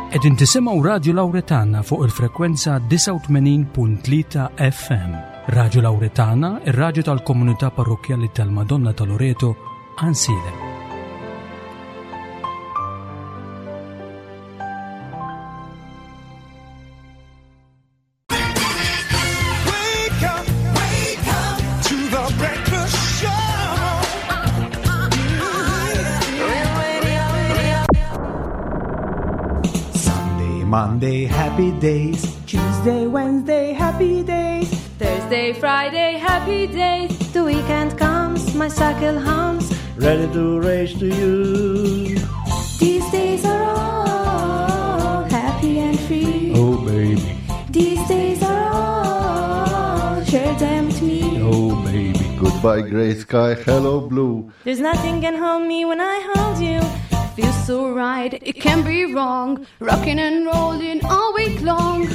Qegħdin tisimgħu Radju Lawretana fuq il-frekwenza 89.3 FM. Radju Lawretana, ir-radju tal-komunità parrokkjali tal-Madonna ta' Loreto, Għansielem. Sunday, Monday, happy days. Tuesday, Wednesday, happy days. Thursday, Friday, happy days. The weekend comes, my cycle hums. Ready to race to you. These days are all happy and free. Oh, baby. These days are all, share them with me. Oh, baby. Goodbye, gray sky. Hello, blue. There's nothing can hold me when I hold you. Feels so right, it can't be wrong. Rocking and rolling all week long.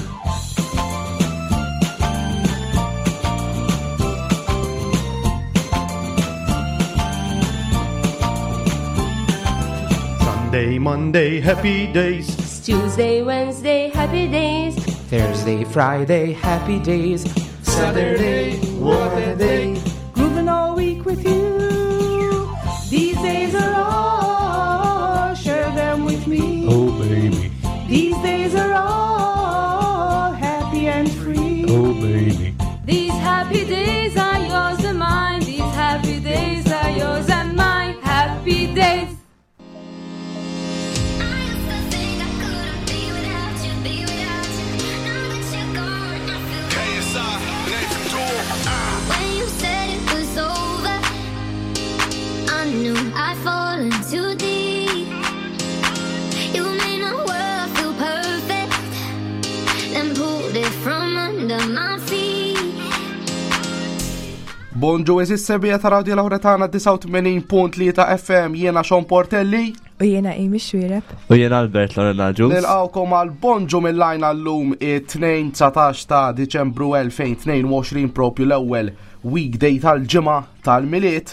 Sunday, Monday, happy days. Tuesday, Wednesday, happy days. Thursday, Friday, happy days. Saturday, what a day. Grooving all week with you. These days are all, share them with me. Oh, baby. These days are all happy and free. Oh, baby. These happy days are yours and mine. These happy days are yours and mine. Happy days. KSI, next door. When you said it was over, I knew I'd fallen too deep. You made my world feel perfect, then pulled it from under my feet. Bonġu eżis sebija ta' Radio Lauretana 89.3 FM jiena Sean Portelli. U jiena Amy Xwireb. U jien Albert Lorena Ġus. Nilqawkom għal Bonġu mill-lajn għallum it-2 ta' Diċembru 2022 propju l-ewwel weekday tal-ġimgħa tal-Milied.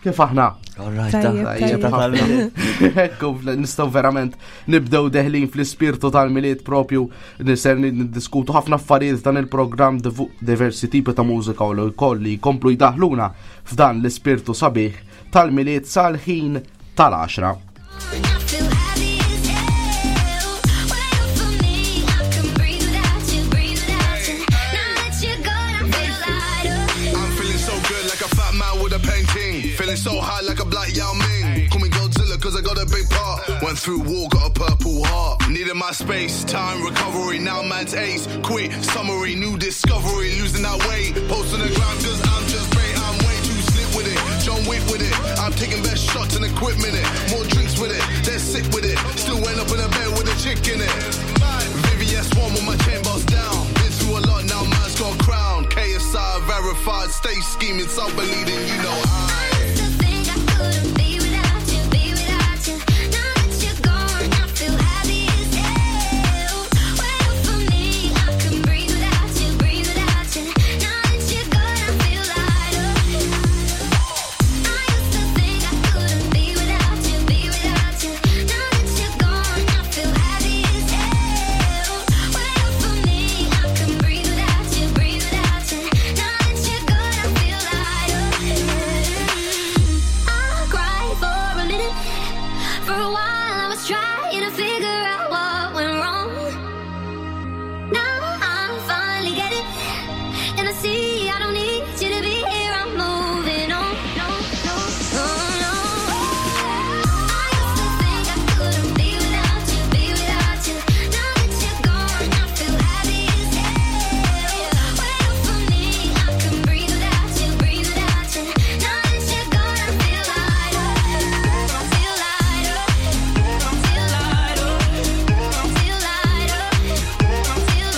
Kif aħna? Alright, Tajjeb, Tajjeb tajjeb. ħafna. Ekku, nistgħu verament nibdew deħlin fl-ispirtu tal-Milied propju niser niddiskutu ħafna affarijiet f'dan il-programm diversi tipi ta' mużika u l-koll li jkomplu jdaħluna f'dan l-ispirtu sabiħ tal-Milied sal-ħin tal-10. I feel happy as hell. When you're for me, I can breathe without you, breathe without you. Now that you're gone, I feel lighter. I'm feeling so good like a fat man with a painting. Feeling so high like a black Yao Ming. Call me Godzilla cause I got a big part. Went through war, got a purple heart. Needed my space, time, recovery. Now man's ace. Quick summary, new discovery. Losing that weight. Post on the ground cause I'm just great. I'm way too slick with it. John Wick with it. I'm taking best shots and equipment it. More drinks with it. They're sick with it. Still end up in a bed with a chick in it. VVS one with my chain bars down. Been through a lot now, man's got a crown. KSI verified, stay scheming, self believing, you know I. To think I couldn't be without you, be without you. Now that you're gone, I feel happy as hell. When you're for me, I can breathe without you, breathe without you. Now that you're gone, I feel lighter. I used to think I couldn't be without you, be without you. Now that you're gone, I feel happy as hell. When you're for me, I can breathe without you, breathe without you. Now that you're gone, I feel lighter. I cried for a minute. For a while, I was trying to figure out what went wrong. Now I finally get it, and I see I don't need you to be here. I'm moving on. No, no, no, no. I used to think I couldn't be without you, be without you. Now that you're gone, I feel happy as hell. When you're for me, I can breathe without you, breathe without you. Now that you're gone, I feel lighter, feel lighter, feel lighter, feel lighter, feel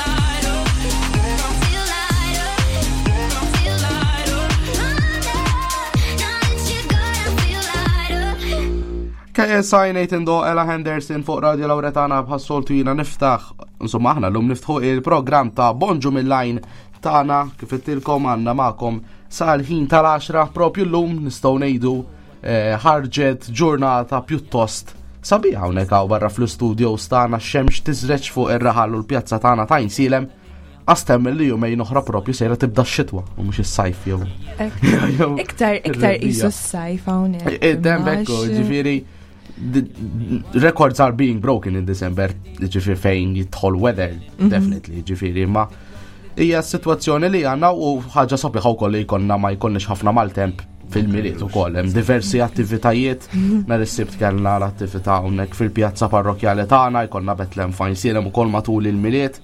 lighter, feel lighter, feel lighter. Now that you're gone, I feel lighter. KSI Nathan Do Ella Henderson fuq Radio Lauretana bħas-soltu jina niftaħ, insomma aħna l-lum niftħu il-program ta' Bonġu mill-lajn tagħna kif ittilkom għandna magħkom sal-ħin tal-10 propju l-lum nistgħu ngħidu eh, ħarġet ġurnata pjuttost Sabiħ hawnhekk hawn barra fl-istudios tagħna x-xemx tiżreġ fuq ir-raħal u l-pjazza tagħna ta' Għajnsielem. Għastem li jumejn oħra propju sejra tibda x-xitwa u mhux is-sajf jew. Iktar iktar qisu s-sajf hawnhekk. Id-dem bekku, ġifieri records are being broken in December, ġifieri fejn jidħol weather, mhm. definitely, ġifieri ma hija s-sitwazzjoni li għandna u ħaġa sabiħa wkoll li jkollna ma jkollniex ħafna maltemp fil-miliet ukoll hemm diversi attivitajiet nhar is-Sibt kellna l-attività hawnhekk fil-pjazza parrokjali tagħna, jkollna Betlem Fajnsielem ukoll matul il-miliet.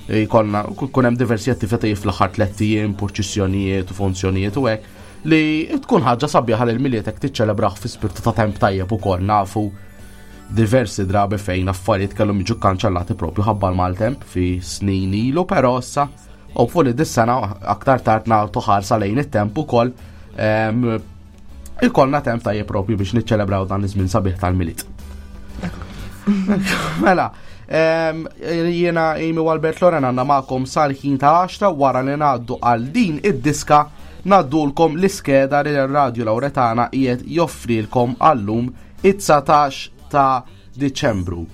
Jkollna kun hemm diversi attivitajiet fl-aħħar tlett ijiem, purċissjonijiet u funzjonijiet u hekk li tkun ħaġa sabiħa li l-miliet hekk tiċċelebrah fi spirtu ta' temp tajjeb ukoll nafu diversi drabi fejn affarijiet kellhom jiġu kkanċellati propju ħabba l-maltemp fi snin ilu, però issa hopefully dis-sena aktar tard nagħtu ħarsa lejn it-temp ukoll ikollna temp tajjeb propju biex niċċelebraw dan iż-żmien sabiħ tal-Milied. Mela, jiena Amy u Albert Loren għandna magħkom sal-ħin tal-10 wara li ngħaddu għal din id-diska ngħaddulkom l-iskeda li r-Radju Lawretana qiegħed joffrilkom għallum it-19 ta' Diċembru.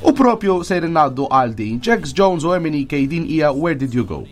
U propju sejrin ngħaddu għal din Jax Jones u MNEK din hija Where Did You Go?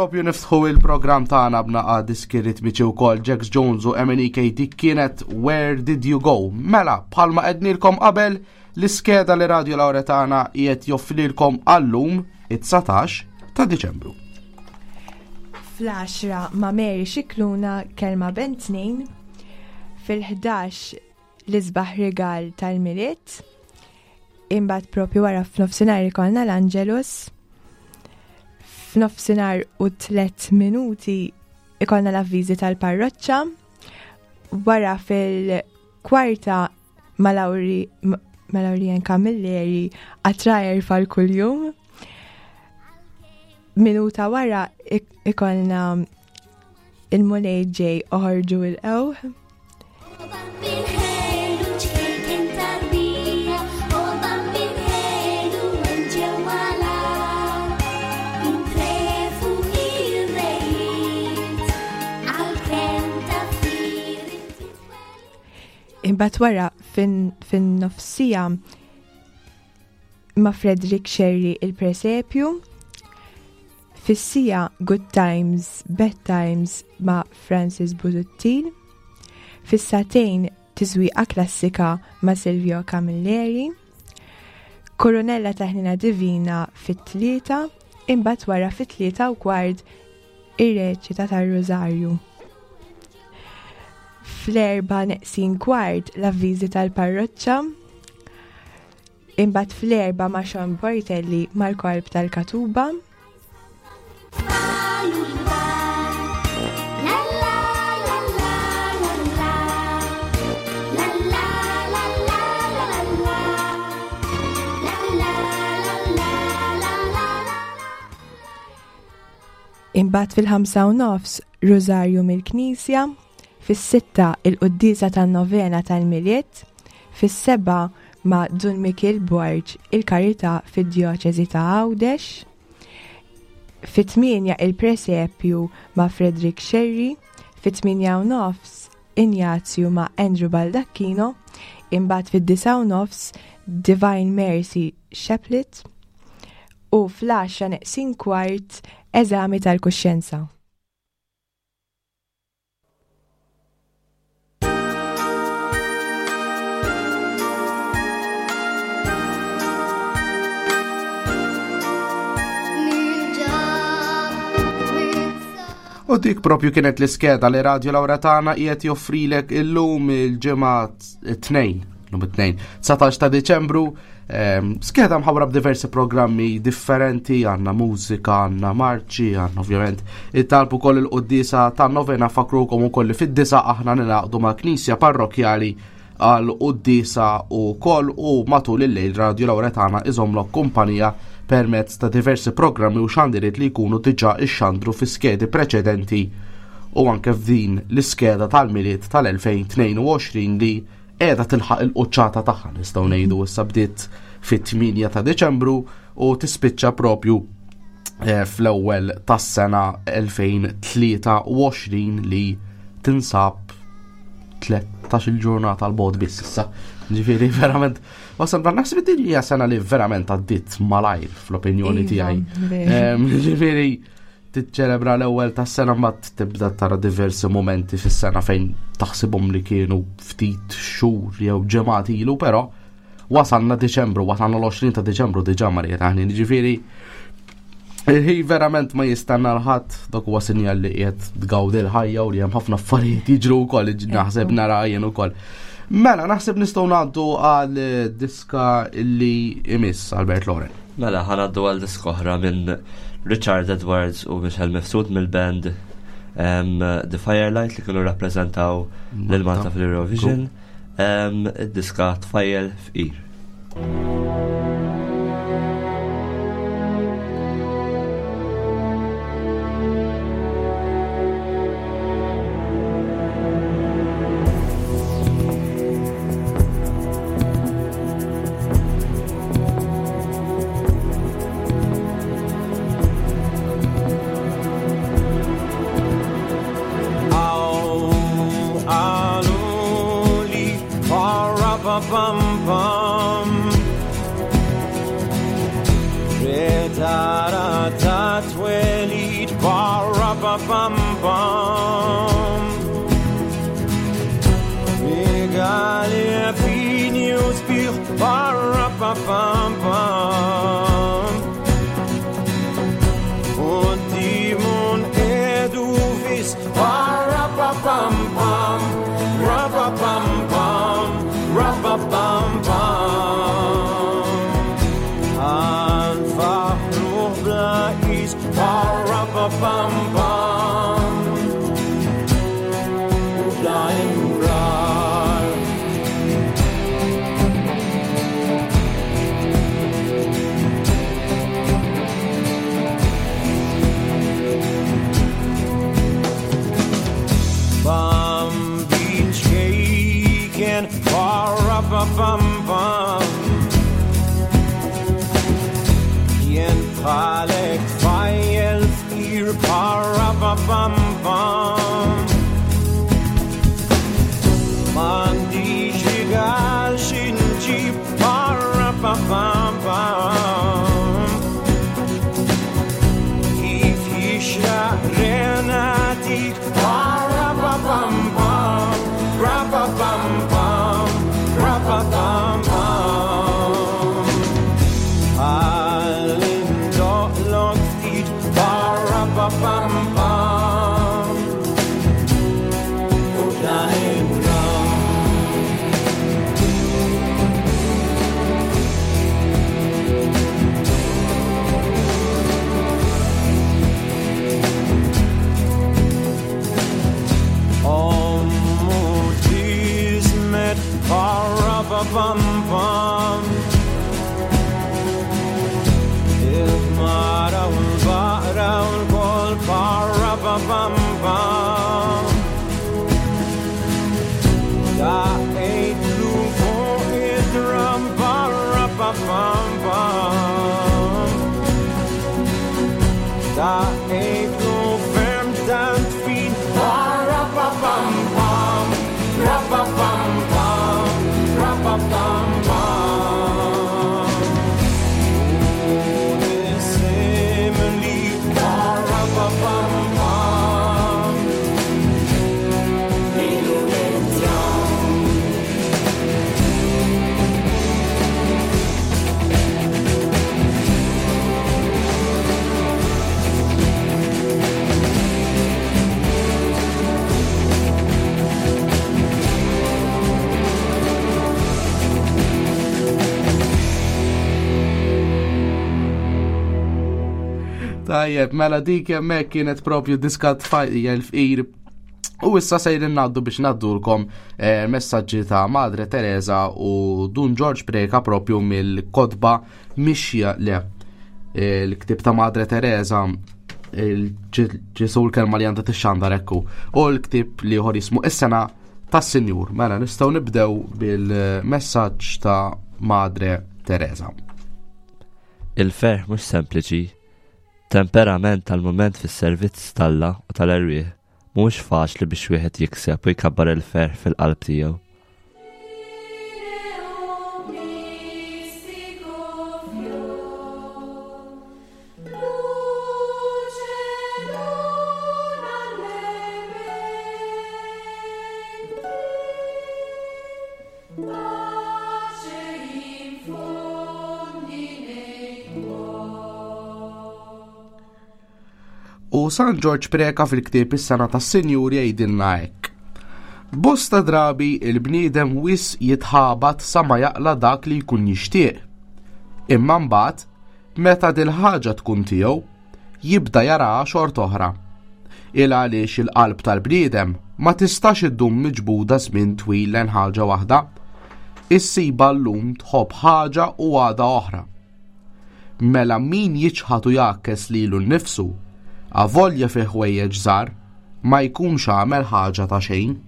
Propju niftħu il-programm tagħna b'naqa' diski ritmiċi wkoll Jax Jones u MNEK dik kienet Where Did You Go? Mela, bħalma qednilkom qabel l-iskeda li Radio Lauretana qiegħed joffrilkom għallum it-19 ta' Diċembru. Fl-10 ma' Mary Xikluna kelma ben tnejn, fil-11 l-isbaħ rigal tal-Milied, imbagħad propju wara f'nofsinhar ikollna l-Angelus, f'nofsinhar u tlet minuti ikollna l-avviżi tal-parroċċa, wara fil-kwarta ma' Lauri ma' Laurien Camilleri għatrajer fal-kuljum. Minuta wara ikollna il-Mulej ġej oħorġu il-qewħ. Imbagħad wara fin-nofsija ma' Frederick Sherry il-presepju, fis-sija Good Times, Bad Times ma' Francis Busuttil, fis-satejn Tiżwieqa Klassika ma' Silvio Camilleri, Koronella ta' Ħnina Divina fit-tlieta, imbagħad wara fit-3:15 ir-reċita tar-Rużarju. Fl-erba' neqsin kwart l-avviżi tal-parroċċa, Imbagħad fl-erba' ma' Sean Portelli mal-korp tal-Katuba. Imbagħad fil-5:30 Rużarju mill-Knisja, fis-6 il-quddiesa tan-novena tal-Milied, fis-7 ma' Dun Mikiel Borg il-Karità fid-Djoċesi ta' Għawdex, fit-8 il-Presepju ma' Frederick Scerri, fit-8:30 Injazju ma' Andrew Baldacchino, imbagħad fid-9:30 Divine Mercy Chaplet u fl-10 neqsin kwart eżami tal-kuxjenza. U dik propju kienet l-iskeda li Radio Laura tagħna qiegħed joffrilek illum il-ġimgħa t-tnejn, lum it-tnejn, 19 ta' Diċembru, skeda mħawra b'diversi programmi differenti, għandna mużika, għandna marċi, għandna ovvjament it-talb ukoll il-quddiesa ta' novena fakrukom ukoll li fid-disa aħna ninaqdu ma' knisja parrokjali għal quddiesa u koll u matul il-lejl Radio Lauretana iżomlok kumpanija permezz ta' diversi programmi u xandiriet li jkunu diġà ixxandru fi skedi preċedenti u anke f'din l-iskeda tal-Milied tal-2022 li qiegħda tilħaq il-quċċata tagħha nistgħu ngħidu issa bdiet fit-8 ta' Diċembru u tispiċċa propju eh, fl-ewwel tas-sena 2023 li tinsab 13 il-ġurnata l-bot biss issa. Ġifieri verament wasal naħseb din hija sena li verament għaddiet malajr fl-opinjoni iva, tiegħi. Ġifieri tiċċelebra l-ewwel tas-sena mbagħad tibda tara diversi momenti fis-sena fejn taħsibhom li kienu ftit xhur jew ġimgħat ilu, però wasalna Diċembru, wasalna l-20 ta' Diċembru diġà Marija taħni, ġifieri il-ħin verament ma jistenna l-ħadd, dak huwa sinjal li qiegħed tgawdi l-ħajja u li hemm ħafna affarijiet jiġru wkoll naħseb nara jien ukoll. Mela, naħseb nistgħu ngħaddu għal diska li imiss Albert Loren. Mela, ħanaddu għal diska oħra minn Richard Edwards u Michel Mifsud mill-band The Firelight li kienu rappreżentaw lil Malta fil-Eurovision. Id-diska Tfajjel Fqir. Bħalek tfajjel fqir parapapam-pam. M'għandix rigal xi nġib parapapam-pam. Kif jixraq renatik parapapam-pam, rapapam-pam, rapapam-pam. Ħalli ndoqlok ftit parapapam-pam. U dan id-dram. Ommu tismet parapapam-pam. Il-ħmara u l-baqra u l-kol parapapam-pam. Daqqejtlu fuq id-dram parapapam-pam. Daqqejtlu ferm tant fin parapapam-pam, rapapam-pam, rapapam-pam. U nisimli parapapam-pam. Lilu id-dram. Tajjeb, mela dik hemmhekk kienet propju diska tfajja l-fqir. U issa sejrin ngħaddu biex ngħaddulkom eh, messaġġi ta' Madre Teresa u Dun George Preka propju mill-kotba Mixja le eh, l-ktib ta' Madre Teresa ġesu l-kelma li għandha tixxandar ekku u l-ktib li ieħor jismu Is-sena tas-Sinjur. Mela nistgħu nibdew bil-messaġġ ta' Madre Teresa. Il-ferħ mhux sempliċi, temperament tal-mument fis-servizz t'Alla u tal-erwieħ, mhuwiex faċli biex wieħed jikseb u jkabbar il-ferħ fil-qalb tiegħu. U San Ġorġ Preka fil-ktieb Is-Sena tas-Sinjur jgħidilna hekk. Bosta drabi il-bniedem wis jitħabat sa ma jaqla dak li jkun jixtieq. Imma mbagħad, meta dil-ħaġa tkun tiegħu, jibda jaraha xort'oħra. Il għaliex il-qalb tal-bniedem ma tistax iddum miġbuda żmien twil lejn ħaġa waħda. Issibha llum tħobb ħaġa u għada oħra. Mela min jiċħad u jgħakkes lilu nnifsu, avolja fi ħwejjeġ żgħar, ma jkunx għamel ħaġa ta' xejn.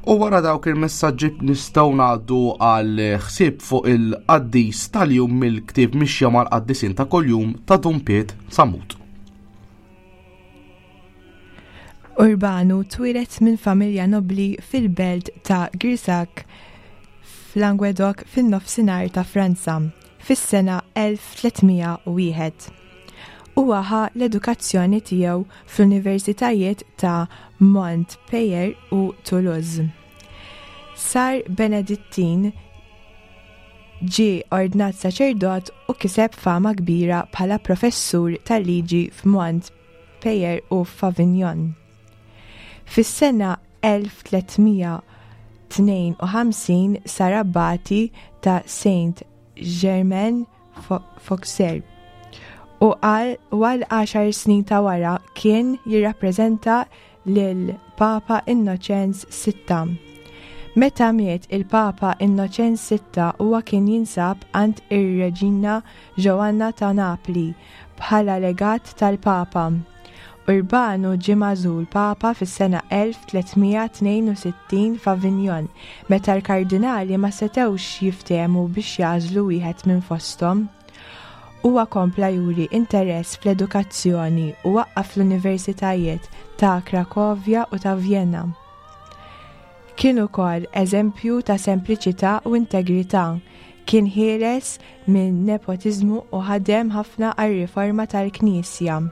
U wara dawk il-messaġġi nistgħu ngħaddu għal ħsieb fuq il-qaddis tal-jum mill-ktieb Mixja mal-Qaddisin ta' Kuljum ta' Dun Piet Samut. Urbanu twieled minn familja nobbli fil-belt ta' Grisac f'Languedoc fin-Nofsinhar ta' Franza fis-sena 1301. Huwa ħa l-edukazzjoni tiegħu fl-universitajiet ta' Montpellier u Toulouse. Sar Benedittin, ġie ordnat saċerdot u kiseb fama kbira bħala professur tal-liġi f'Montpellier u f'Avignon. Fis-sena 1352 sar abbati ta' Saint Germain Fauxer. U għal għaxar snin ta' wara kien jirrappreżenta lil Papa Innoċenz Sitta. Meta miet il-Papa Innoċenz Sitta huwa kien jinsab għand ir-Reġina Joanna ta' Napli bħala legat tal-Papa. Urbanu ġie magħżul Papa fis-sena 1362 f'Avignon meta l-kardinali ma setgħux jiftehmu biex jagħżlu wieħed minn fosthom. Huwa kompla juri interess fl-edukazzjoni u waqqaf l-universitajiet ta' Krakovja u ta' Vjenna. Kien ukoll eżempju ta' sempliċità u integrità, kien ħieles minn nepotiżmu u ħadem ħafna għar-riforma tal-Knisja.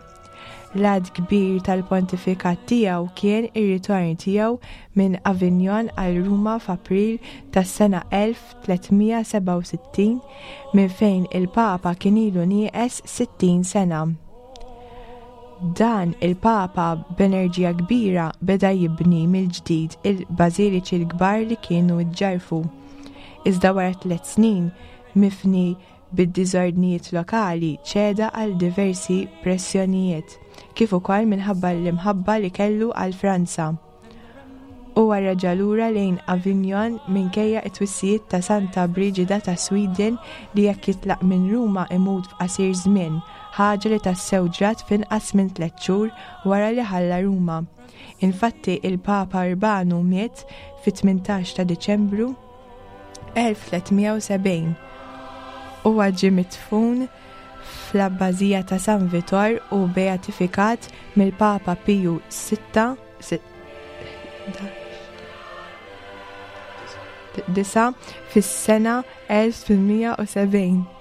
L-għadd kbir tal-pontifikat tiegħu kien ir-ritorn tiegħu minn Avignon għal Ruma f'April tas-sena 1367 minn fejn il-Papa kien ilu nieqes 60 sena. Dan il-Papa b'enerġija kbira beda jibni mill-ġdid il-bażiliċi l-kbar li kienu ġġarfu. Iżda wara tliet snin, mifni bid-diżordnijiet lokali, ċeda għal diversi pressjonijiet, kif ukoll minħabba l-imħabba li kellu għal Franza. Huwa reġa' lura lejn Avignon minkejja t-twissijiet ta' Santa Briġida ta' Sweden li jekk jitlaq minn Ruma imut f'qasir żmien, ħaġa li tassew ġrat f'inqas minn tlett xhur wara li ħalla Ruma. Infatti il-Papa Urbanu miet fit-18 ta' Diċembru 1370. Huwa ġie midfun fl-Abbazija ta' San Vitor u beatifikat mill-Papa Piju VI 9 fis-sena 1870.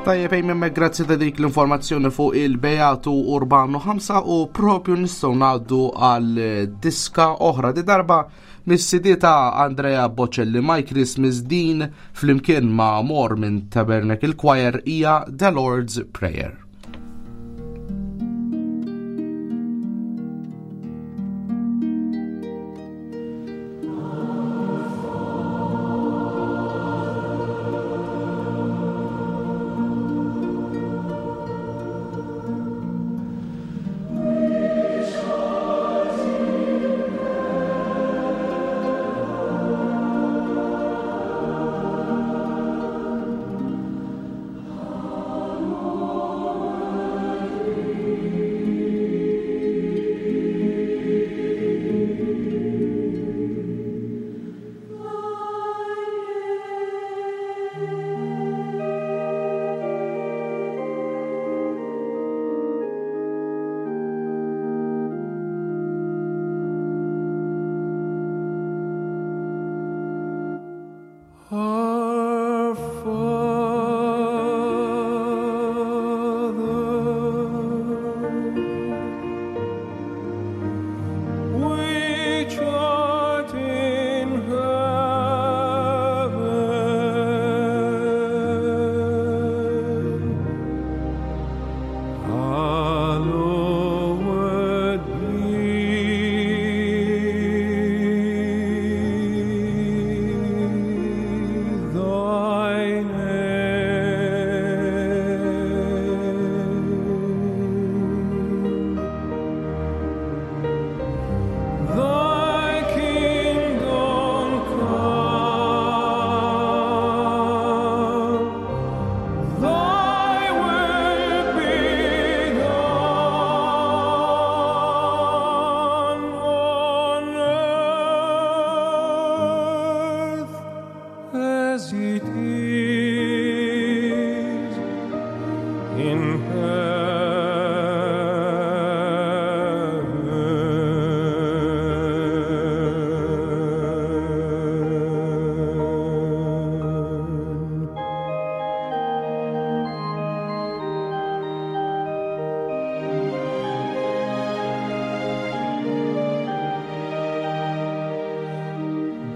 Tajjeb ejmen grazzi ta' dik l-informazzjoni fuq il-Beatu Urbano 5 u propju nistgħu ngħaddu għal diska oħra di darba Mis-CD ta' Andrea Bocelli My Christmas din flimkien ma' Mor minn Tabernacle Choir hija The Lord's Prayer.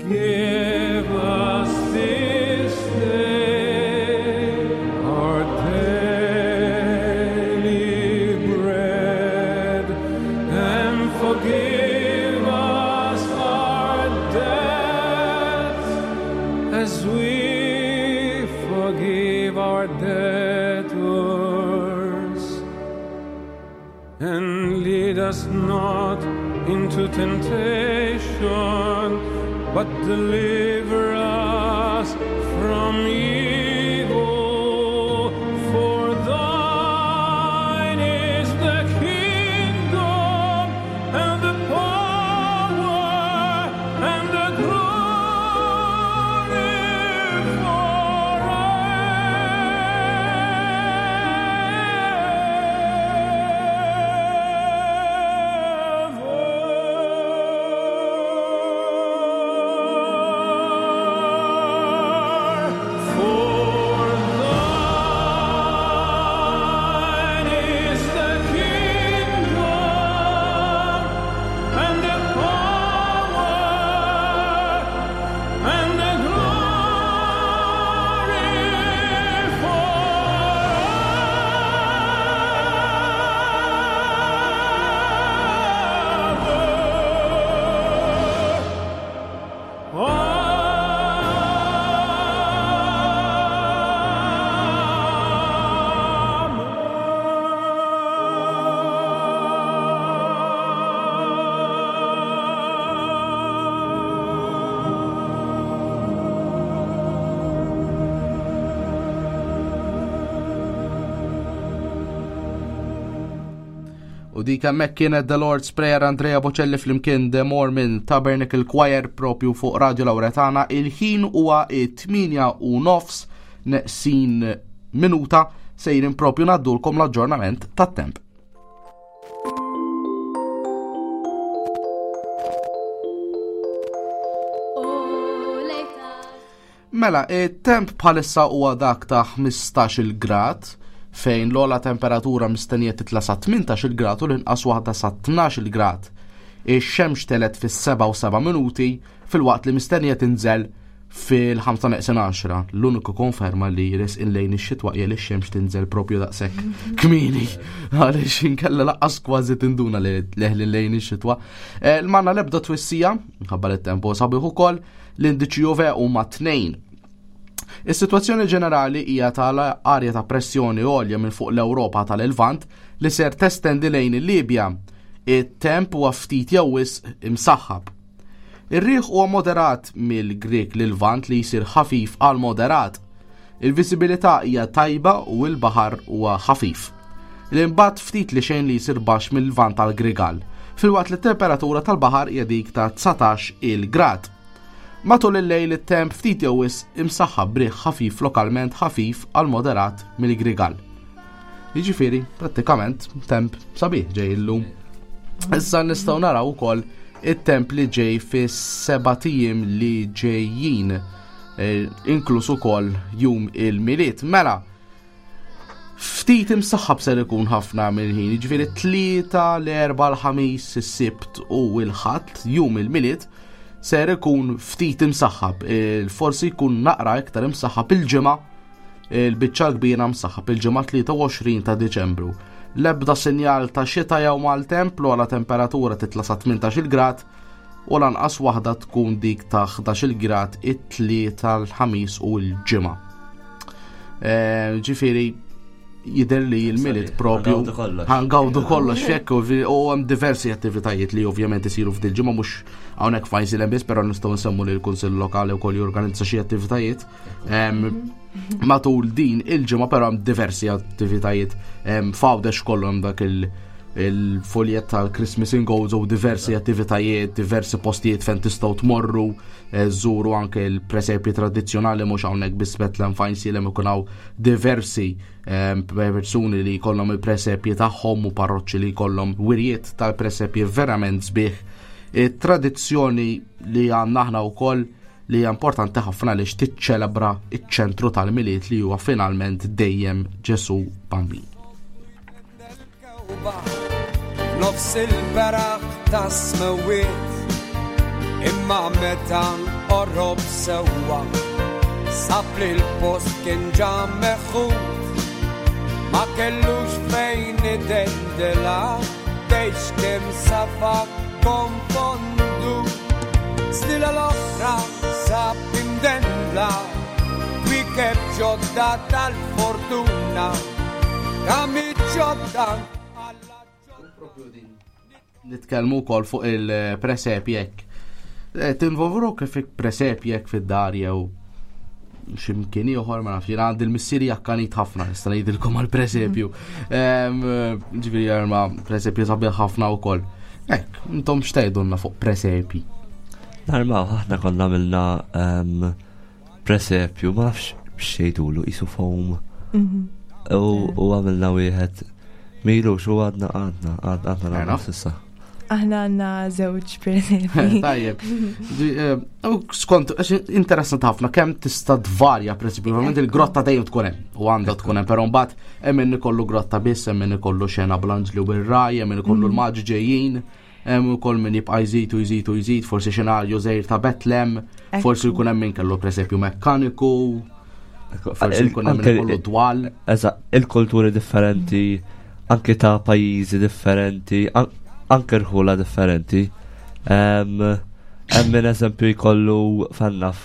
Give us this day our daily bread, and forgive us our debts as we forgive our debtors. And lead us not into temptation, but deliver us from evil. For thine is the kingdom, and the power, and the glory forever. For thine is the kingdom, and the power, and the glory forever. U dik hemmhekk kienet The Lord's Prayer Andrea Bocelli flimkien The Mormon Tabernacle Choir propju fuq Radio Lauretana. Il-ħin huwa 8 u nofs neqsin minuta sejrin propju naddulkom l-aġġornament tat-temp. Mela, it-temp bħalissa huwa dak ta' 15 grad fejn l-ogħla temperatura mistennija titla' sa 18 grad u l-inqas waħda sa 12 grad. Ix-xemx telet fis-7 u 7 minuti filwaqt li mistennija tinżel fil-5 neqsin 10. L-uniku konferma li resqin lejn ix-xitwa hija li x-xemx tinżel propju daqshekk kmieni għaliex inkella laqqas kważi tinduna li leħli lejn ix-xitwa. Eh, L-manna l-ebda twissija, ħabba li t-tempo sabiħ ukoll, l-indiċi UV huma 2. Is-sitwazzjoni ġenerali hija tal-arja ta' pressjoni għolja minn fuq l-Ewropa tal-Lvant li ser testendi lejn il-Libja. It-temp huwa ftit jew wisq imsaħħab. Ir-riħ huwa moderat mill-Grieg lil-Lvant li jsir ħafif għal moderat. Il-viżibilità hija tajba u l-baħar huwa ħafif. L-imbatt ftit li xejn li jsir baxx mill-Lvant għal Grigal, filwaqt li t-temperatura tal-baħar hija dik ta' 19 il-grad. Matul il-lejl it-temp ftit jew wisq imsaħħab b'riħ ħafif lokalment ħafif għal moderat mill-Grigal. Jiġifieri, prattikament temp sabiħ ġej illum. Issa nistgħu naraw ukoll it-temp li ġej fis-seba' ijiem li ġejjin, eh, inkluż ukoll jum il-Milied. Mela, ftit imsaħħab ser ikun ħafna mill-ħin, jiġifieri tlieta, l-erba, l-ħamis, is-sibt u l-ħadd, jum il-Milied, ser ikun ftit imsaħħab. Eh, Forsi jkun naqra iktar imsaħħab il-ġimgħa, il-biċċa kbira msaħħab il-ġimgħa 23 ta' Diċembru. L-ebda sinjal ta' xita jew maltemp l ogħla temperatura titla' sa 18 grad u lanqas waħda tkun dik ta' 11 grad it-tlieta l-ħamis u l-ġimgħa. Eh, Ġifieri jidher li l-Milied propju Ħangawdu kollox. ħangawdu kollox fekk u vi- u hemm diversi attivitajiet li ovvjament isiru f'dil ġimgħa mhux hawnhekk f'Għajnsielem biss, però nistgħu nsemmu li l-Kunsill Lokali wkoll jorganizza xi attivitajiet. Em, Matul din il-ġimgħa però hemm diversi attivitajiet em, f'Għawdex kollu hemm dak il- il-foljet tal-Christmas in Goals u diversi attivitajiet, diversi postijiet fejn tistgħu tmorru, eh, żuru anke l-presepji tradizzjonali mhux hawnhekk biss Bethlehem f'Għajnsielem ikun hawn diversi em, persuni li jkollhom il-presepji tagħhom u parroċċi li jkollhom wirjiet tal-presepji verament sbieħ. It-tradizzjoni li għandna aħna wkoll li hija importanti ħafna għaliex tiċċelebra iċ-ċentru tal-Milied li huwa finalment dejjem Ġesu Bambin. Nofs il-beraħ ta' smewiet Imma meta qorob sewwa Sab li l-post kien ġa meħud Ma kellux fejn idendela Tgħidx kemm safa konfondu Stila l-oħra sab imdendla Kwiekeb ġodda tal-fortuna Kami ġodda Nitkellmu wkoll fuq il-presepji hekk. Eh, tinvolvru kif presepji hekk fid-dar jew ximkien ieħor ma nafx, jiena għandi l-missieri jakkanit ħafna, nista' ngħidilkom għall-presepju. Ġifieri jarma presepju sabiħ ħafna wkoll. Hekk, intom x'tgħidulna fuq presepji? Narmaw, aħna konna għamilna presepju, ma nafx xejdulu, isu foam. Mhm. U għamilna wieħed milux u għadna għadna għadna nagħmlu s'issa. Aħna għandna żewġ presepji. Tajjeb. Eh, skont, interessant ħafna kemm tista' tvarja presepju, ovvjament il-grotta dejjem tkun hemm u għandha tkun hemm, però mbagħad hemm min ikollu grotta biss, hemm min ikollu xena bl-anġli u bir-raj, hemm min ikollu mhm. l-maġi ġejjin. Hemm ukoll min jibqa' jżid u jżid u jżid, forsi xenarju żgħir ta' Betlem, forsi jkun hemm min kellu presepju mekkaniku, forsi jkun hemm min ikollu dwal. Eżatt, il-kulturi differenti, anke ta' pajjiżi differenti, anke rħula differenti. Hemm min eżempju jkollu fannaf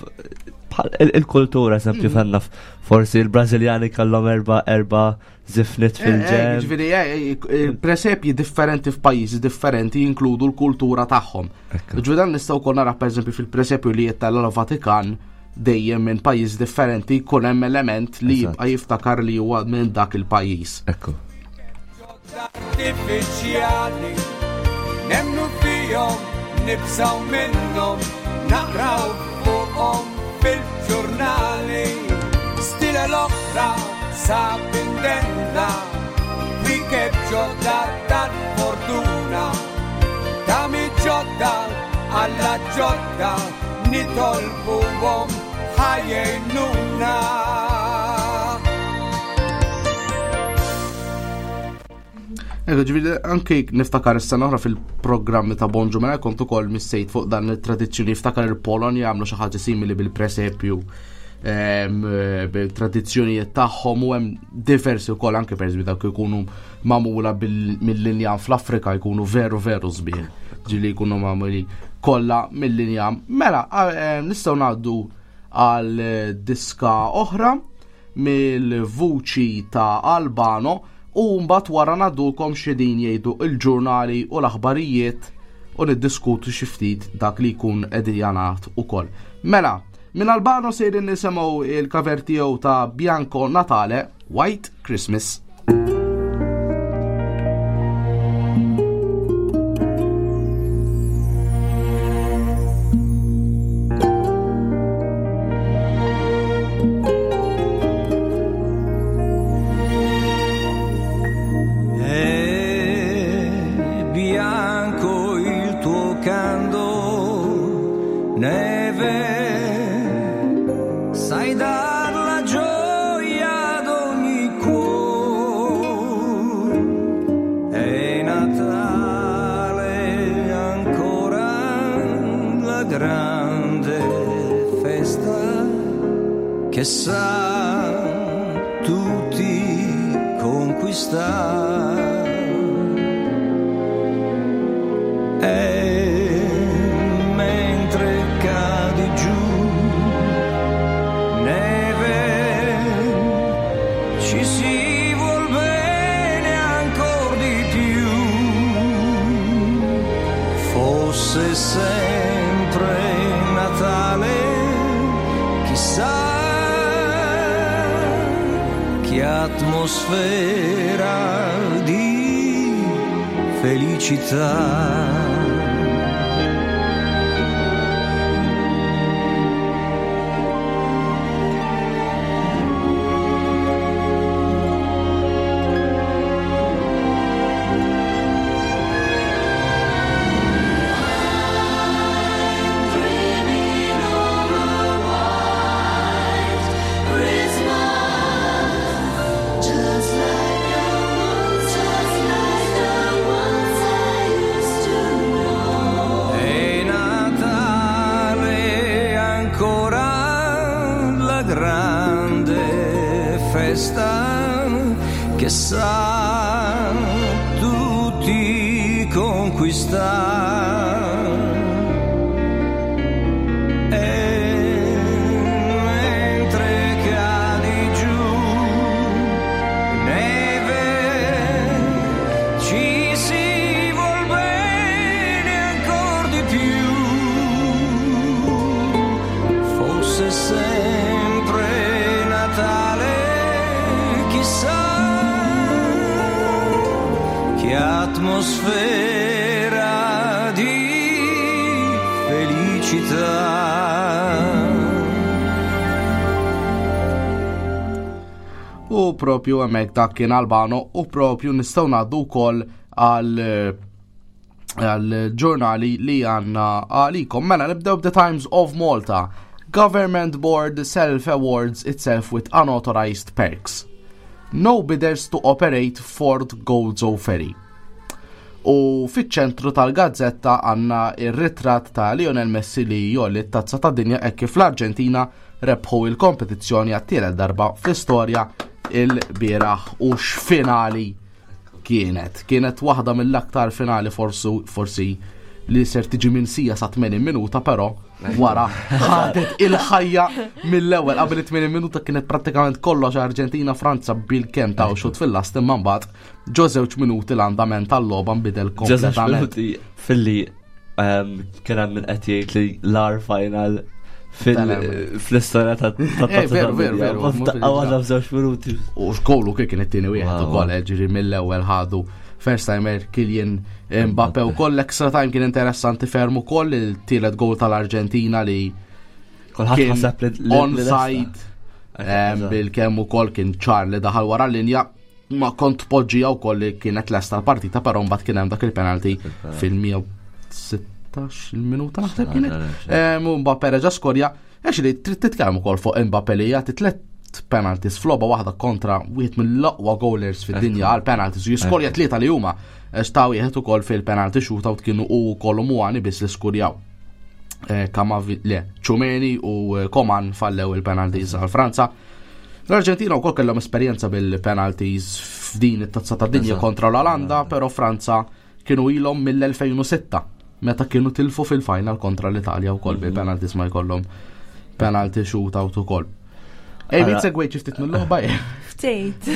il-kultura eżempju mm. fannaf forsi il-Brażiljani kellhom erba' erba' zifnit eh, eh, fil-ġen. Ġifieri, eh, presepji differenti f'pajjiżi differenti jinkludu l-kultura tagħhom. Ġifieri dan nistgħu wkoll nara pereżempju fil-presepju li jittella l-Vatikan dejjem minn pajjiż differenti jkun hemm element li jibqa' jiftakar li huwa minn dak il-pajjiż. Ekku. Artifiċjali Nemmnu fihom, nibżgħu minnhom, naqraw fuqhom fil-ġurnali. Stila l-oħra sab indenda, wikeb ġodda tal-fortuna. Tami ġodda alla ġodda nitolbuhom ħajjnuna. Ecco, ġifieri anke niftakar is-sena oħra fil-programmi ta' Bonġu mela kont ukoll missejt fuq dan it-tradizzjoni niftakar il-Polonja għamlu xi ħaġa simili bil-presepju bil-tradizzjonijiet tagħhom u hemm diversi wkoll anke pereżempju dawk ikunu magħmula mill-linjam fl-Afrika jkunu veru veru sbieħ. Ġieli jkunu magħmuli kollha mill-linjam. Mela, nistgħu ngħaddu għal diska oħra mill-vuċi ta' Albano u mbagħad wara ngħaddulkom x'qegħdin jgħidu l-ġurnali u l-aħbarijiet u niddiskutu xi ftit dak li jkun qegħdin jingħad ukoll. Mela, minn Albano sejrin nisimgħu il-cover tiegħu ta' Bianco Natale, White Christmas. Bianco il tuo candor, neve, sai dar la gioia ad ogni cuor. È Natale ancora la grande festa che sa tutti conquistare. E mentre cadi giù, neve, ci si vuol bene ancor di più. Fosse sempre Natale, chissà che atmosfera di felicità. Just like the ones, just like the ones I used to know. festa che sa tutti conquistare. E mentre cadi giù neve ci si vuol bene ancor di più. Fosse sempre Natale, chissà che atmosfera di felicità. U propju hemmhekk dak kien Albano u propju nistgħu ngħaddu wkoll għal għal ġurnali li għanna għalikom. Mela nibdew The Times of Malta. Government Board self-awards itself with unauthorized perks. No bidders to operate Ford Gozo Ferry. U fiċ-ċentru tal-gazzetta għanna ir-ritratt ta' Lionel Messi li jolli t-tazza ta' dinja hekk kif l-Arġentina rebħu il-kompetizzjoni għat-tielet darba fl-istorja il-bieraħ u x'finali kienet. Kienet waħda mill-aktar finali forsu, forsi li ser tiġi minsija sa 80 minuta, però wara ħadet il-ħajja mill-ewwel qabel 80 minuta kienet prattikament kollox Arġentina Franza bil-kemm ta' xut fil-last imma mbagħad ġo żewġ minuti l-andament tal-logħba nbidel kompletament. Filli ehm, kien hemm min qed jgħid li l-ar final fl-istorja ta' eh, Veru, veru, veru. Daqqa waħda f'żewġ minuti. U xkollu kif kien it-tieni wieħed ukoll, eh, ġifieri mill-ewwel ħadu first timer Kylian Mbappe u koll extra time kien interessanti ferm ukoll il-tielet goal tal-Arġentina li Kulħadd ħaseb li onside eh, bil-kemm ukoll kien ċar li daħal wara l-linja ma kont poġġija wkoll li kienet lesta l-partita, però mbagħad kien hemm dak il-penalty fil-116 il-minuta naħseb kienet. U Mbappe reġa' skorja, actually trid titkellem ukoll fuq Mbappe li jagħti tliet penalties f'logħba waħda kontra wieħed mill-aqwa goalers fid-dinja għal penalties u jiskorja tlieta li huma xtaw wieħed ukoll fil-penalty shootout kienu u kollu muani biss li skurjaw. Eh, Kamavi, le, Ċumeni u eh, Koman fallew il-penalties għal Franza. L-Arġentina wkoll kellhom esperjenza bil-penalties f'din it-tazza ta' dinja kontra l-Olanda, però Franza kienu ilhom mill-2006 meta kienu tilfu fil-final kontra l-Italja wkoll mhm. bil-penalties ma jkollhom penalty shootout ukoll. Ej, min segwejt xi ftit mill-logħba Ftit.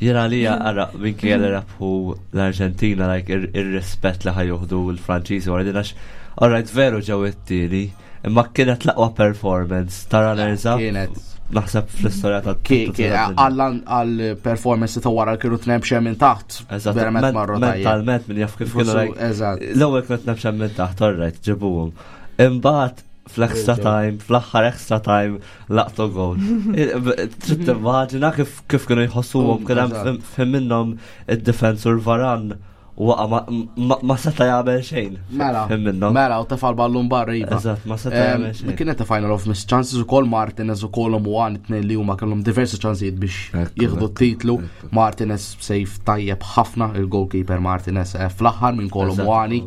Jena li għara, minn kien li rabħu l-Arġentina, like, ir-rispett li ħajuħdu l-Franċiżi wara din għax, alright, veru ġew it-tieni, Imma kienet l-aqwa performance ta' runners up. Kienet. Naħseb fl-istorja ta' Għal performance ta' wara kienu tnem xem minn taħt. Eżatt. Verament marru Mentalment minn jaf kif kienu. Eżatt. L-ewwel kienu tnem xem minn taħt, alright, ġibuhom. Imbagħad fl-extra time, fl-aħħar extra time, laqtu gol. Trid timmaġina kif kienu jħossuhom kien hemm fim minnhom id-defensur Varan waqa ma seta jagħmel xejn. Mela, mela, u tefal ballun barra iva. Eżatt, ma seta jagħmel xejn. Kienet final of missed chances ukoll Martinez ukoll u għan it-tnejn li huma kellhom diversi ċansijiet biex jieħdu t-titlu. Martinez sejf tajjeb ħafna il-goalkeeper Martinez eh, fl-aħħar minn kollu Muani.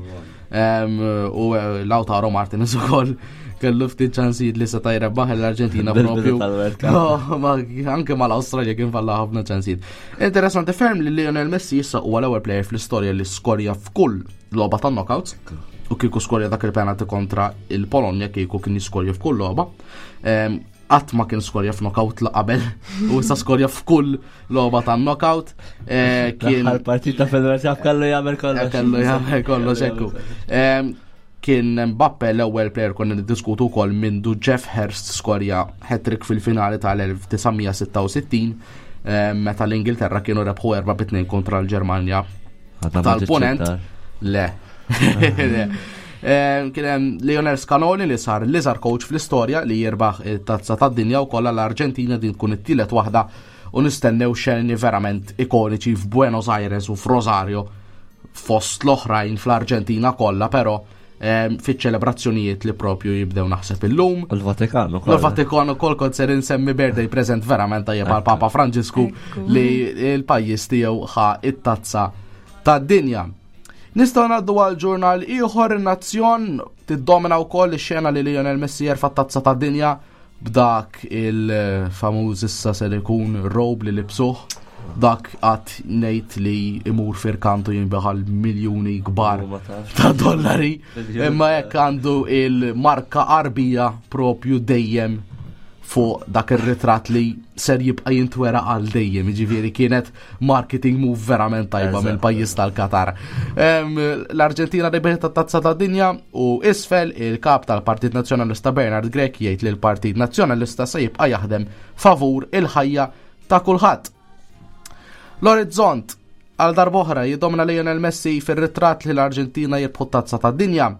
U eh, Lautaro Martinez ukoll kellu ftit ċansijiet li seta' jrebbaħ l-Arġentina propju. Anke mal-Awstralja kien falla ħafna ċansijiet. Interessanti ferm li Lionel Messi issa huwa l-ewwel player fl-istorja li skorja f'kull logħba tan-knockouts u kieku skorja dak il-penalty kontra il-Polonja kieku kien jiskorja f'kull logħba. Ehm, qatt ma kien skorja f'knockout la qabel u issa skorja f'kull logħba tan-knockout. Eh, kien partita fil-World kellu jagħmel kollox. Kellu jagħmel kollox ekku. Ehm, Kien Mbappe l-ewwel player konna niddiskutu wkoll mindu Jeff Hurst skorja hat-trick fil-finali tal-1966 eh, meta l-Ingilterra kienu rebħu 4-2 kontra l-Ġermanja tal-Ponent. Le. Eh, kien hemm Lionel Scaloni li sar l-iżgħar coach fl-istorja li jirbaħ it-tazza tad-dinja u kollha l-Arġentina din tkun it-tielet waħda u nistennew xeni verament ikoniċi f'Buenos Aires u f'Rosario fost l-oħrajn fl-Arġentina kollha, però ehm, fiċ-ċelebrazzjonijiet li propju jibdew naħseb illum. U l-Vatikan ukoll. L-Vatikan ukoll kont ser insemmi birthday present verament tajjeb għal Papa Franġisku li l-pajjiż tiegħu ħa it-tazza tad-dinja. Nistgħu ngħaddu għal ġurnal ieħor in-Nazzjon tiddomina wkoll ix-xena li Lionel Messi jerfa' tazza tad-dinja. b'dak il-famuż issa ser ikun robe li libsuh dak għat nejt li imur firkantu jinbeħal miljoni kbar ta' dollari. Imma jekk għandu il-marka qarbija propju dejjem fuq dak ir-ritratt li ser jibqa' jintwera għal dejjem, jiġifieri kienet marketing move verament tajba mill-pajjiż tal-Qatar. L-Arġentina rebħet tat-Tazza tad-Dinja u isfel il-kap tal-Partit Nazzjonalista Bernard Grech jgħid li l-Partit Nazzjonalista se jibqa' jaħdem favur il-ħajja ta' kulħadd. L-Orizzont għal darb'oħra jiddomina Lionel Messi fir-ritratt li l-Arġentina jirbħu t-Tazza tad-Dinja.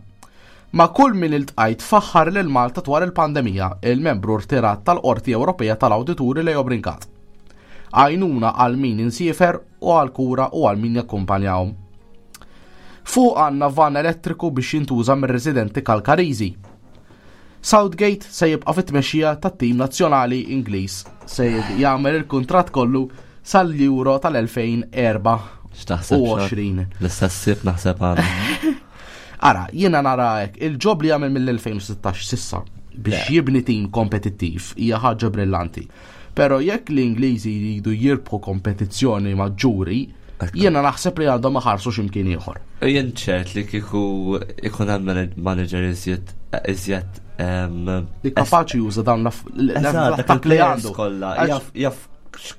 Ma' kull min iltqajt faħħar lil Malta dwar il-pandemija, il-membru rtirat tal-Qorti Ewropea tal-Awdituri Leo Brincat. Għajnuna għal min insiefer u għal kura u għal min jakkumpanjahom. Fuq għandna van elettriku biex jintuża mir-residenti Kalkariżi. Southgate se jibqa' fit-tmexxija tat-tim nazzjonali Ingliż se jagħmel il-kuntratt kollu sal-Euro tal-2024. X'taħseb? L-istess sib naħseb għana. Ara, jiena nara hekk, il-ġob li jagħmel mill-2016 sissa biex jibni tim kompetittiv hija ħaġa brillanti. Però jekk l-Ingliżi jridu jirbħu kompetizzjoni maġġuri, jiena naħseb li għandhom iħarsu x'imkien ieħor. Jien ċert li kieku ikun hemm manager iżjed iżjed li kapaċi juża dawn l-attakk li għandu. Kollha jaf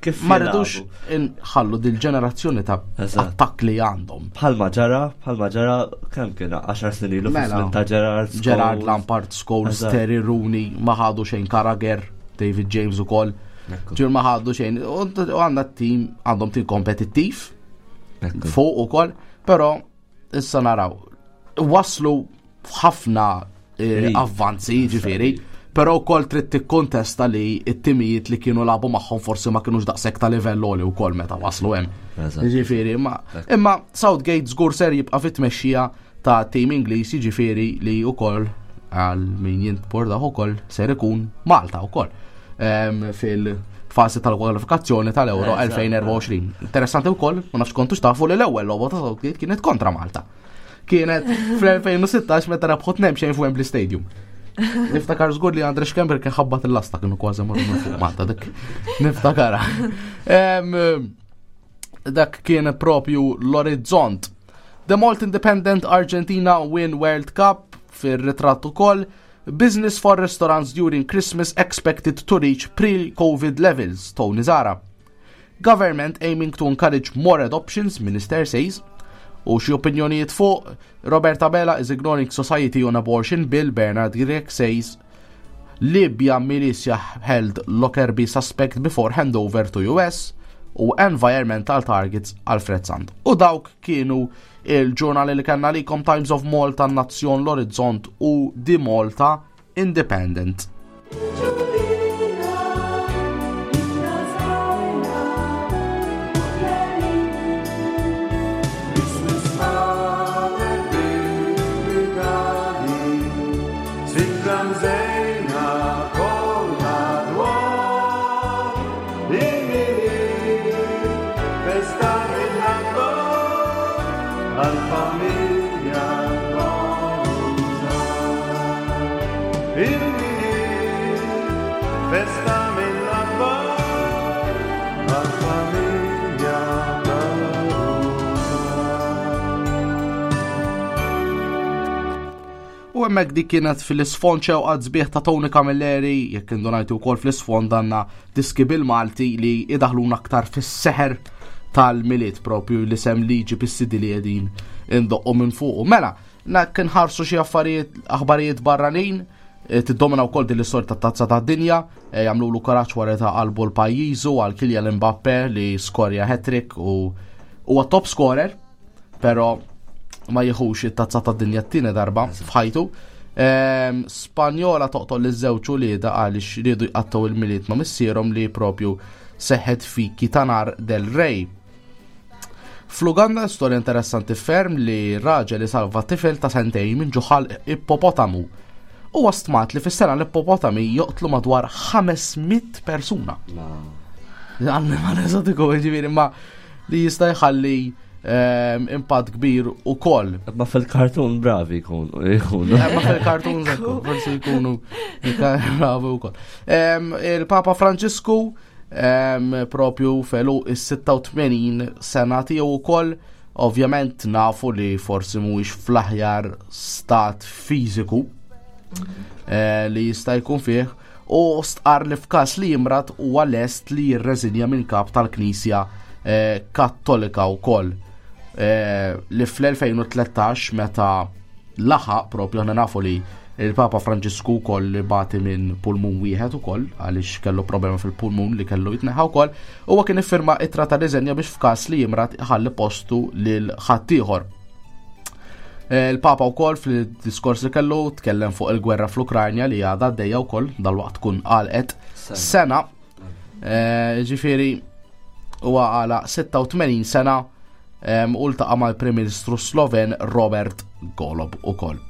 kif ma rridux inħallu dil-ġenerazzjoni ta' attakk li għandhom. Bħalma ġara, bħalma ġara kemm kien 10 snin ilu mela, ta' Gerard. Gerard Lampard, Scholes, Terry Rooney, ma ħadu xejn Carragher. David James ukoll. Ġir ma ħaddu xejn. U għandna tim għandhom tim kompetittiv fuq ukoll, però issa naraw. Waslu ħafna eh, avvanzi, ġifieri, però wkoll trid tikkontesta li t-timijiet li kienu labu magħhom forsi ma kienux daqshekk ta' livell għoli wkoll meta waslu hemm. Ġifieri, imma imma Southgate żgur ser jibqa' fit-tmexxija ta' tim Ingliż jiġifieri li wkoll għal min jintpordaħ ukoll ser ikun Malta wkoll ehm, fil-fażi tal-kwalifikazzjoni tal-Euro 2024. Interessanti wkoll, ma nafx kontux tafu li l-ewwel logħba ta' Southgate kienet kontra Malta. Kienet fl-2016 meta rebħu tnejn xejn f'Wembley Stadium. Niftakar żgur li Andre Schember kien ħabbat il-lasta kienu kważi marru minn fuq Malta dik. Niftakara. Ehm, dak kien propju l-orizzont The Malt Independent Argentina win World Cup fir-ritratt ukoll. Business for restaurants during Christmas expected to reach pre-COVID levels, Tony Zara. Government aiming to encourage more adoptions, Minister says. U xi opinjonijiet fuq Robert Abela is ignoring society on abortion bill, Bernard Grech says. Libya militia held Lockerbie suspect before handover to US u Environmental Targets Alfred Sant. U dawk kienu il-ġurnali li kellna likom Times of Malta, Nazzjon, l-Orizzont u The Malta Independent. U hemmhekk dik kienet fil-isfond xewqa sbieħ ta' Tony Camilleri, jekk indunajtu wkoll fl-isfond għandna diski bil-Malti li idaħluna aktar fis-seħer tal-Milied propju li sem liġi bis-sidi li qegħdin indoqqu minn fuqu. Mela, Nak nħarsu xi affarijiet aħbarijiet barranin, eh, tiddomina wkoll din l-istorja tat-tazza tad-dinja, eh, jagħmlulu kuraġġ wara ta' qalbu l-pajjiżu għal Kylian Mbappe li skorja hat-trick u huwa top scorer, però ma jieħux it-tazza tad-dinja t-tieni darba f'ħajtu. Ehm, Spanjola toqtol li żewġ ulieda għaliex riedu jqattgħu il-miliet ma' missierhom li propju seħħet fi Kitanar del Rey. Fl-Uganda storja interessanti ferm li raġel isalva tifel ta' sentejn minn ġuħal ippopotamu. Huwa stmat li fis-sena l-ippopotami joqtlu madwar 500 persuna. Annimal eżotiku, ġifieri ma li jista' jħalli impatt kbir ukoll. Ma fil-kartun bravi jkunu. Ma fil-kartun forsi jkunu bravi wkoll. Il-Papa Franġisku propju felu is-86 sena tiegħu wkoll ovvjament nafu li forsi mhuwiex fl-aħjar stat fiżiku eh, li jista' jkun fih u stqar li f'każ li jimrad huwa lest li jirreżinja minn kap tal-Knisja eh, Kattolika wkoll eh, li fl-2013 meta laħaq propju aħna nafu li il-Papa Franġisku wkoll li bati minn pulmun wieħed ukoll għaliex kellu problema fil-pulmun li kellu jitneħħa wkoll, huwa kien iffirma ittra ta' riżenja biex f'każ li jimrad iħalli postu lil ħaddieħor. Eh, il-Papa wkoll fil-diskors li kellu tkellem fuq il-gwerra fl-Ukranja li għadha għaddejja wkoll dal-waqt tkun għalqet sena. Eh, ġifieri huwa għala 86 sena u ltaqa' mal-Prim Ministru Sloven Robert Golob ukoll.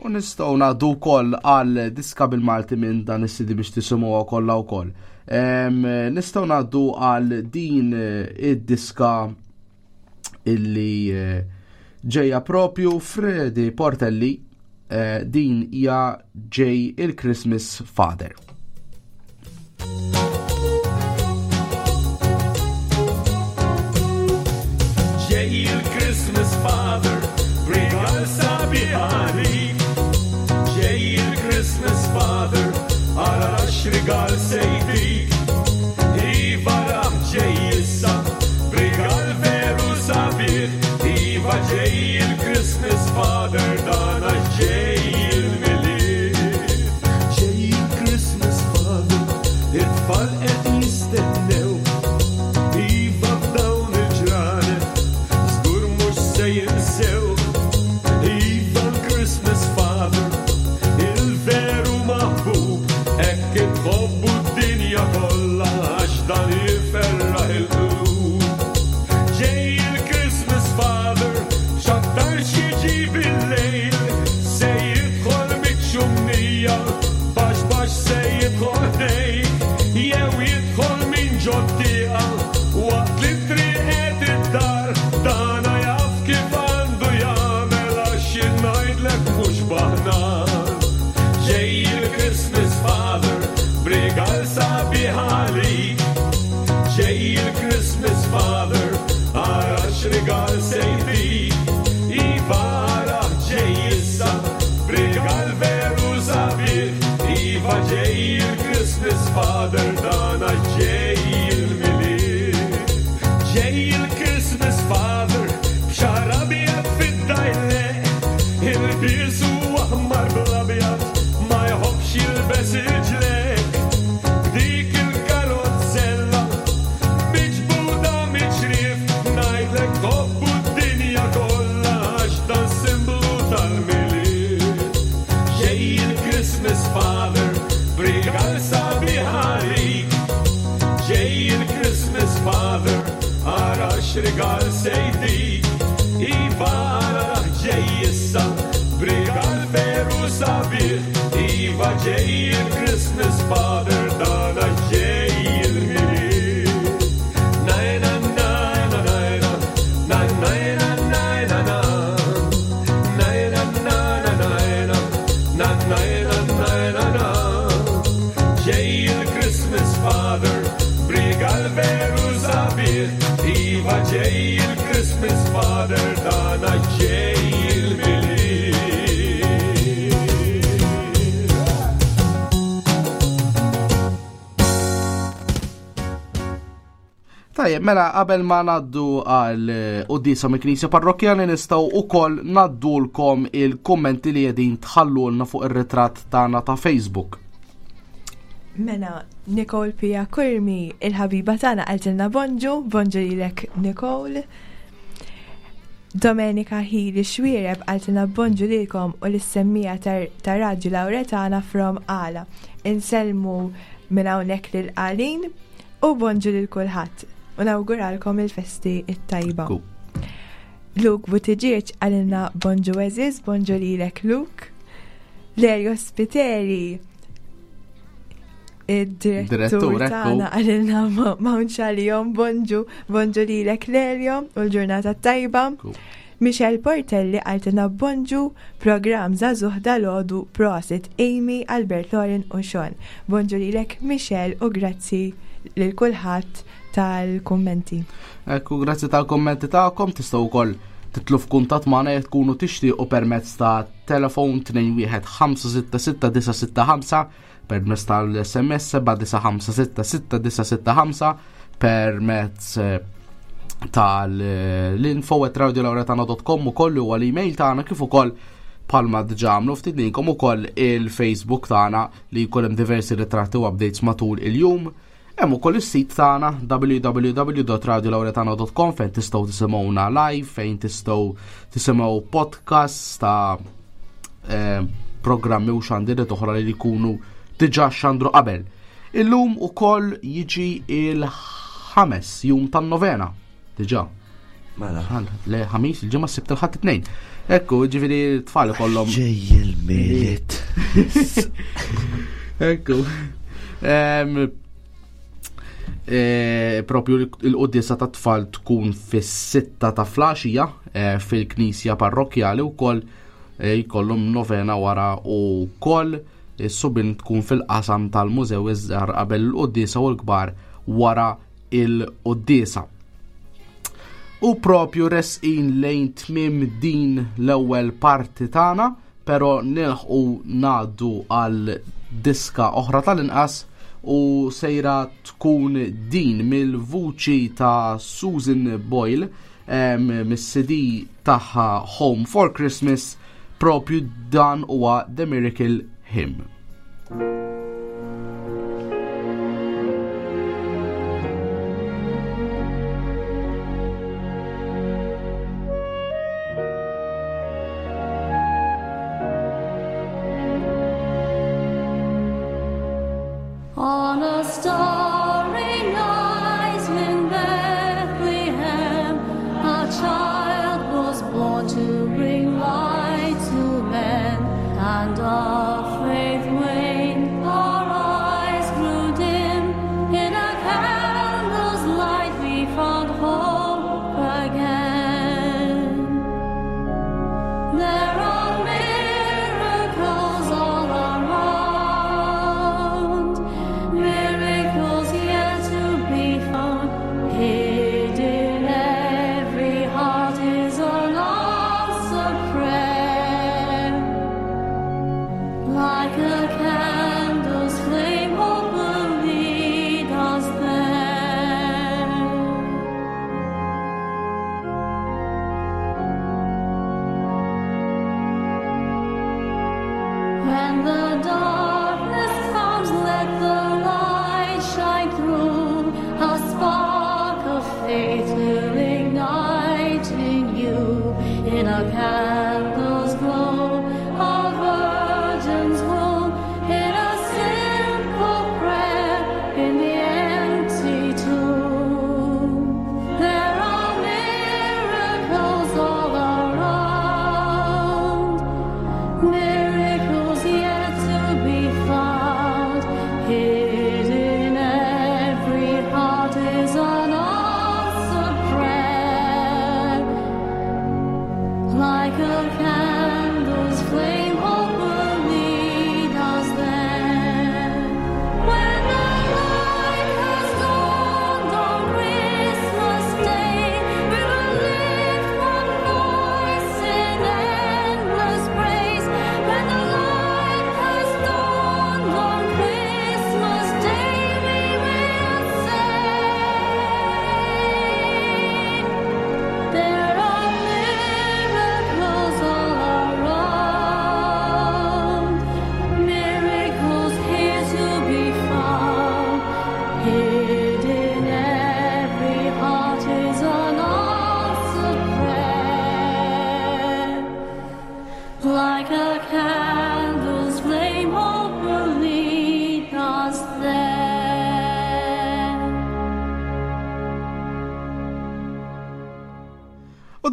U nistgħu ngħaddu wkoll għal diska bil-Malti minn dan is-CD biex tisimgħuha kollha wkoll. Nistgħu ngħaddu għal din eh, id-diska illi eh, ġejja propju Fredi Portelli eh, din hija ġej il-Christmas Father. Ġej il-Christmas Father, brigal sabiħ għalik. Ġej il-Christmas Father, ara x'rigal se jtik. Iva rah ġej issa, brigal veru sabiħ. Iva ġej il-Christmas Father, dan għax ġej il-Milied. Ġej il-Christmas Father, it-tfal qed jistennew. Iva f'dawn il-ġranet, żgur mhux se jinsew. Iva l-Christmas Father, il-veru maħbub, hekk itħobbu d-dinja kollha għax dan iferraħ il-qlub. Ġej il-Christmas Father, x'aktarx jiġi bil-lejl, se jidħol miċ-ċumnija, baxx baxx se jidħol ħdejk, jew jidħol minn ġot-tieqa, waqt li t-triq qed id-dar, dana jaf kif għandu jagħmel għax jien ngħidlek mhux baħnar. Ġej il-Christmas Father, b'rigal sabiħ għalik. Ġej il-Christmas Father, ara x'rigal se jtik. Iva ara ġej issa, b'rigal veru sabiħ. Iva ġej il-Christmas Father, dan għax ġej il-Milied. Ġej il-Christmas Father, b'xagħar abjad fid-dajleq, ilbiesu aħmar bl-abjad, ma jħobbx jilbes il-ġlek. B'dik il-karozzella, miġbuda miċ-ċriev, ngħidlek tħobbu d-dinja kollha għax dan simbolu tal-Milied. Ġej il-Christmas Father, b'rigal sabiħ għalik. Ġej il-Christmas Father, ara x'rigal se jtik. Iva ara ġej issa, b'rigal veru sabiħ. Iva ġej il-Christmas Father, dan għax ġej il-Milied. Na na na na na na na na na na na. Na na na na na na na na na na na. Ġej il-Christmas Father, b'rigal veru sabiħ. Iva ġej il-Christmas Father, dan għax ġej il-Milied. Tajjeb, mela qabel ma ngħaddu għal eh, quddiesa mill-Knisja Parrokkjali nistgħu wkoll ngħaddulkom il-kummenti li qegħdin tħallulna fuq ir-ritratt tagħna ta' Facebook. Mela, Nicole Pia Kurmi, il-ħabiba tagħna qaltilna bonġu, bonġu lilek Nicole. Domenica Hili Xwiereb qaltilna bonġu lilkom u lis-semmija ta' Radju Lauretana from Għala. Insellmu minn hawnhekk lil Qalin u bonġu lil kulħadd u nawguralkom il-festi it-tajba. Luke Buttigieg qalilna bonġu eżiż, bonġu lilek Luke. Lerio Spiteri id-direttur tagħna qalilna m'hawnx għalihom bonġu, bonġu lilek Lerio u l-ġurnata tajba. Michelle Portelli qaltilna bonġu programm żagħżugħ dalgħodu prosit Amy, Albert Lorin u Sean. Bonġu lilek Michelle u grazzi lil kulħadd tal-kummenti. Ekku, grazzi tal-kummenti tagħkom tistgħu wkoll titlu f'kuntatt magħna jekk tkunu tixtiequ permezz ta' telefon 21566 permezz tal-SMS 79566965 permezz eh, tal-info at radiolauretana.com u kollu huwa l-email tagħna kif ukoll palma diġà għamlu ftit minkom ukoll il-Facebook tagħna li jkun hemm diversi ritratti u updates matul il-jum. Hemm ukoll is-sit tagħna www.radiolauretano.com fejn tistgħu tisimgħuna live, fejn tistgħu tisimgħu podcast ta' eh, programmi u xandiret oħra li jkunu diġà xandru qabel. Illum ukoll jiġi il-ħames jum tan-novena. Diġà. Mela. Le ħamis, il-ġimgħa s-sibt il-ħadd it-tnejn. Ekku, ġifieri t-tfal ikollhom. Ġej il-miliet. Ekku. E, propju il-quddiesa ta' tfal tkun fis-sitta ta' flaxija e, fil-knisja parrokkjali wkoll e, jkollhom novena wara u koll is-subin tkun fil-qasam tal-mużew iż-żgħar qabel il-quddiesa u l-kbar wara il-quddiesa. U propju resqin lejn tmiem din l-ewwel parti tagħna, però nilħqu ngħaddu għal diska oħra tal-inqas u sejra tkun din mill-vuċi ta' Susan Boyle mis-CD tagħha Home for Christmas propju dan huwa The Miracle Hymn. On a starry night in Bethlehem, a child was born to bring light to men, and our faith waned, our eyes grew dim. In a candle's light we found hope again. There are miracles all around, miracles yet to be found. Hid in every heart is an answered prayer. Like a candle's flame, hope will lead us there. When the darkness comes, let the light shine through. A spark of faith will ignite in you. In a candle's glow, a virgin's womb. In a simple prayer, in the empty tomb. There are miracles all around. Miracles yet to be found. Hid in every heart is an answered prayer. Like a candle's flame, hope will lead us there. When the light has dawned on Christmas Day, we will lift one voice in endless praise. When the light has dawned on Christmas Day, we will say, There are miracles all around.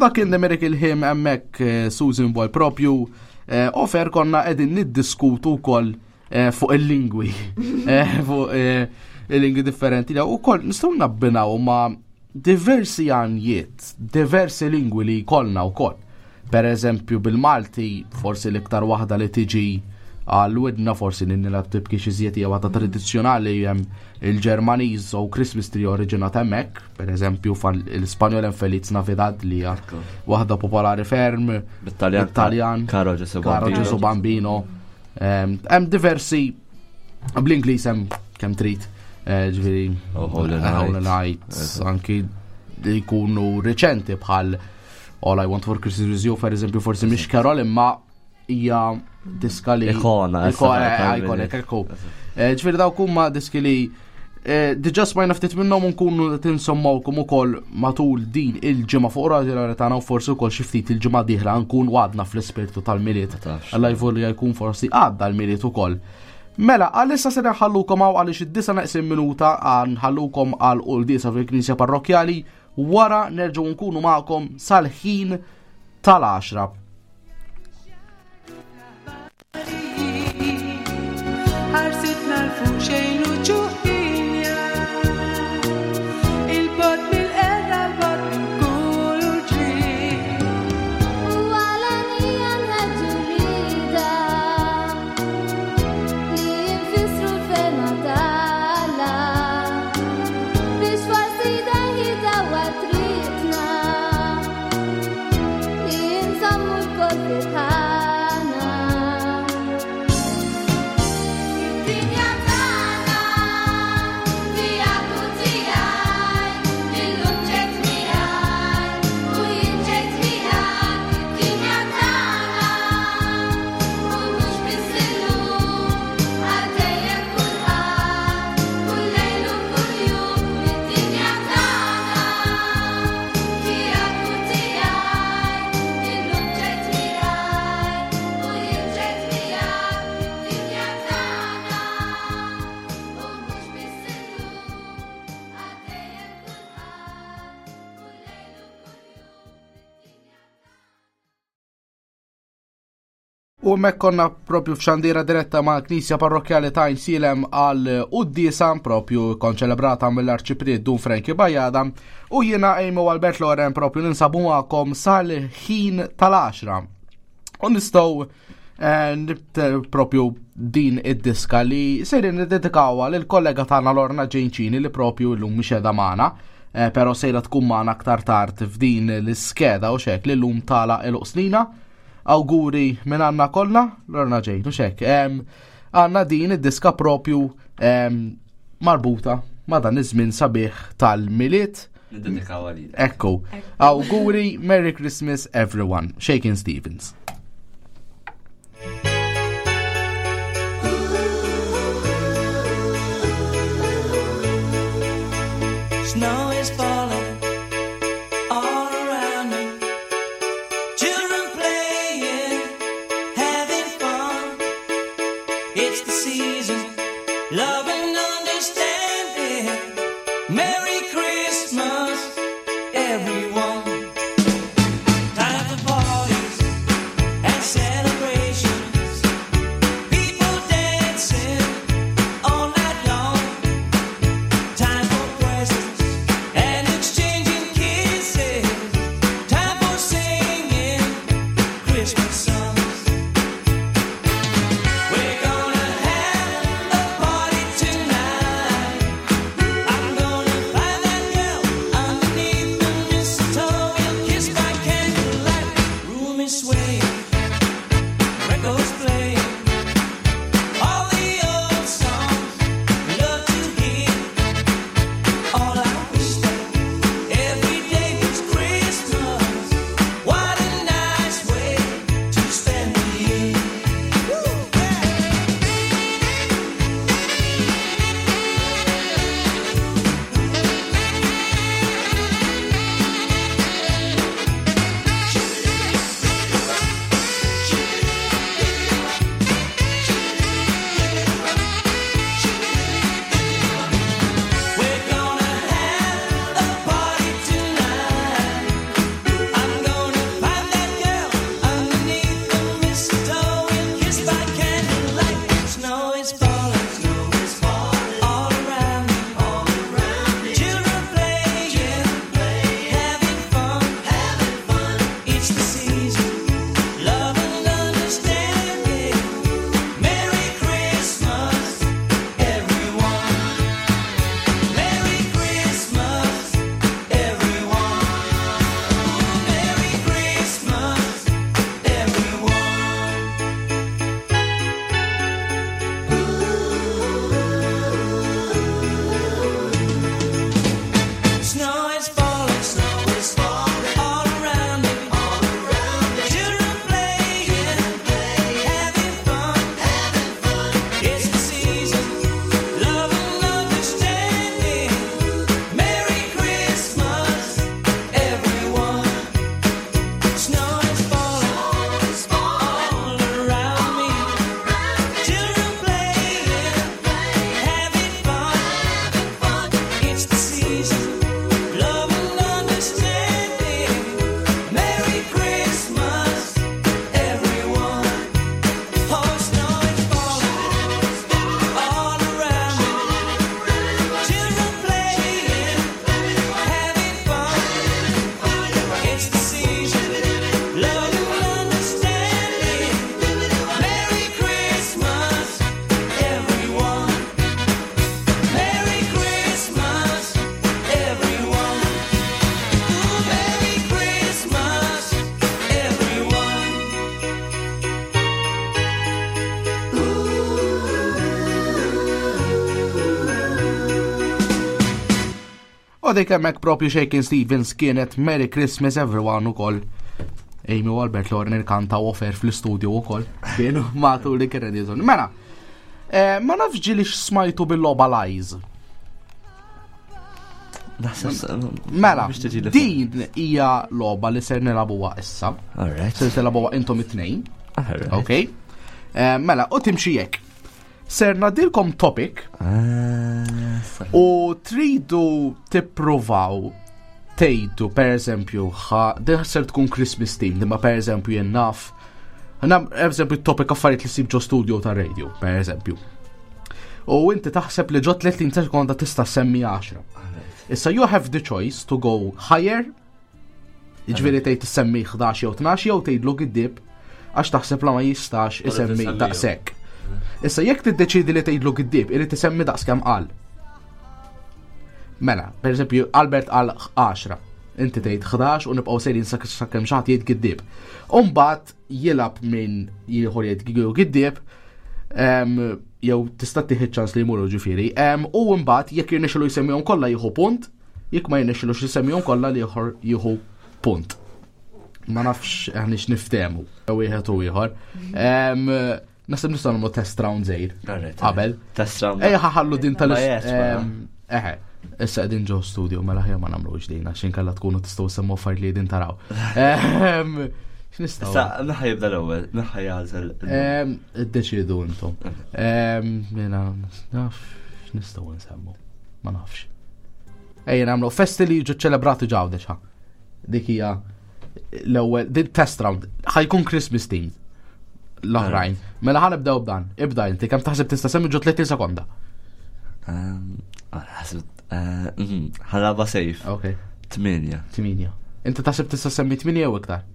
dak kien The Miracle Hymn hemmhekk eh, Susan Boy propju eh, ofer konna qegħdin niddiskutu wkoll eh, fuq il-lingwi fuq il-lingwi differenti u wkoll nistgħu nabbinaw ma' diversi għanjiet, diversi lingwi li jkollna wkoll. Per eżempju bil-Malti forsi l-iktar waħda li tiġi għal widna forsi ninni la tibki xi żjed hija waħda tradizzjonali hemm il-Ġermaniż u Christmas tree oriġinat hemmhekk, per eżempju l-Ispanjol hemm Feliz Navidad li hija waħda popolari ferm. Bit-Taljan. Bit-Taljan. Caro Gesù Caro Bambino. Gesù Bambino. Hemm diversi bl-Ingliż hemm kemm trid. Ġifieri Oh, Holy Night. Holy Night, anki li jkunu reċenti bħal All I Want for Christmas Is You, per eżempju, forsi mhix Carol imma hija diska li Ikona, issa Ikona, tal-Milied. iconic, ekku. Ġifieri dawk huma diski li diġà smajna ftit minnhom u nkunu qed insommawkom ukoll matul din il-ġimgħa fuq Radio Lauretana u forsi wkoll xi ftit il-ġimgħa dieħla nkun għadna fl-ispirtu tal-Milied. Ma tafx. Alla jvolli jkun forsi għadda l-Milied ukoll. Mela, għalissa se nħallukom hawn għaliex id-disa neqsin minuta nħallukom għal quddiesa fil-Knisja Parrokkjali wara nerġgħu nkunu magħkom sal-ħin tal-10. Ħarsitna l-fuq xejn u ġuħinja. Il-bot mill-erra, l-bot minn kull uġigħ. U għalanija nħeġġu rida li jinfissru l-fema tagħna biex forsi daħi dawa tritna li nżommu l-kol fil-ħana. Id-dinja tagħna tiegħek u tiegħi, illum ġejt miegħi u jien ġejt miegħek. Id-dinja tagħna u mhux biss illum, għal dejjem kulħadd, kull lejl u kull jum. Id-dinja tagħna tiegħek u tiegħi, illum ġejt miegħi u jien ġejt miegħek. Id-dinja tagħna u mhux biss illum, għal dejjem kulħadd, kull lejl u kull jum. U hemmhekk konna propju f'xandira diretta ma' Knisja Parrokkjali ta' Għajnsielem għal quddiesa propju konċelebrata mill-Arċipriet Dun Franki Bajada u jiena Amy u Albert Loren propju ninsabu magħkom sal-ħin tal-10. U nistgħu propju din id-diska li sejrin niddedikawha lill-kollega tagħna Lorna Ġejnċini li propju llum mhix qiegħda magħna, però sejra tkun magħna aktar tard f'din l-iskeda u xek li llum tala il-qsnina. Awguri minn għandna kollha, Lorna Jane, u xek. Għandna din id-diska propju marbuta ma' dan iż-żmien sabiħ tal-Milied. Niddedikaw għalilek. Ekku. Awguri, Merry Christmas everyone. Shakin' Stevens. Snow is falling all around me. Children playing, having fun. It's the season, love and understanding. Merry Christmas, everyone. Time for parties and celebrations. People dancing all night long. Time for presents and exchanging kisses. Time for singing Christmas songs. We're gonna have a party tonight. I'm gonna find that girl underneath the mistletoe. We'll kiss by candlelight. Room is swaying, records playing, all the old songs we love to hear. All I wish that every day was Christmas. What a nice way to spend the year. Woo, yeah. U dik hemmhekk propju Shakin Stevens kienet Merry Christmas Everyone ukoll. Amy u Albert Lorner kanta offer fl-istudio ukoll. Kienu matul li kien jizun. Mela, eh, ma nafx ġili smajtu bil-logħba Lies. Mela, din hija logħba li ser nilagħbuha issa. Ser nilagħbuha intom it-tnejn. Ok. Eh, mela, u timxi hekk. Ser nadilkom topic ah, u tridu tippruvaw tgħidu per eżempju din ser tkun Christmas team, imma per eżempju jien naf. Na, per eżempju topic affarijiet li ssib ġo studio ta' radio, per eżempju. U inti taħseb li ġo 30 sekonda tista' semmi 10. Issa you have the choice to go higher Jiġifieri tgħid issemmi 11 jew 12 jew tgħidlu giddib għax taħseb la ma jistax isemmi daqshekk. Issa jekk tiddeċidi li tgħidlu giddib, irid isemmi daqs kemm qal. Mela, per eżempju, Albert qal 10, inti tgħid 11 u nibqgħu sejrin sakemm xi ħadd jgħid giddib. U mbagħad jilgħab minn ieħor jgħid giddib, jew tista' tieħu ċans li jmuru ġifieri. U mbagħad jekk jirnexxilu jsemmihom kollha jieħu punt, Jekk ma jirnexxilux isemmihom kollha l-ieħor jieħu punt. Ma nafx aħniex niftehmu wieħed u ieħor. Naħseb nistgħu nagħmlu test round żgħir. Qabel. Test round. Ejja ħallu din tal Eħe, issa qegħdin ġo studio mela ħja ma nagħmlux din għax inkella tkunu tistgħu semmu affarijiet li qegħdin taraw. X'nistgħu? Issa naħa jibda l-ewwel, naħa jagħżel. Iddeċiedu intom. Mela naf x'nistgħu nsemmu. Ma nafx. Ejja nagħmlu festi li jiġu ċelebrati ġawdex ha. Dik hija l-ewwel din test round ħajkun Christmas team l-oħrajn. Mela ħa nibdew b'dan. Ibda inti kemm taħseb tista' semmi ġo 30 sekonda. Ehm, eh, mhm, ħalaba sejf. Ok. Tminja. Tminja. Inti taħseb tista' semmi tminja jew iktar?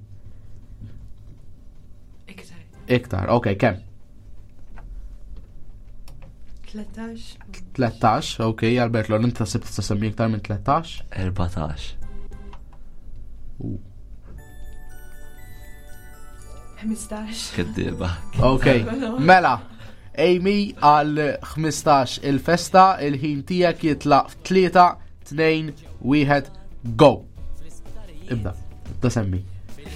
Iktar. Iktar, ok, kemm? 13. 13, ok, Albert Lor, inti taħseb tista' semmi iktar minn 13? 14. 15. Keddiba. Ok, mela, Amy għal 15 il-festa, il-ħin tiegħek jitlaq 3, 2, 1, go. Ibda, ibda semmi.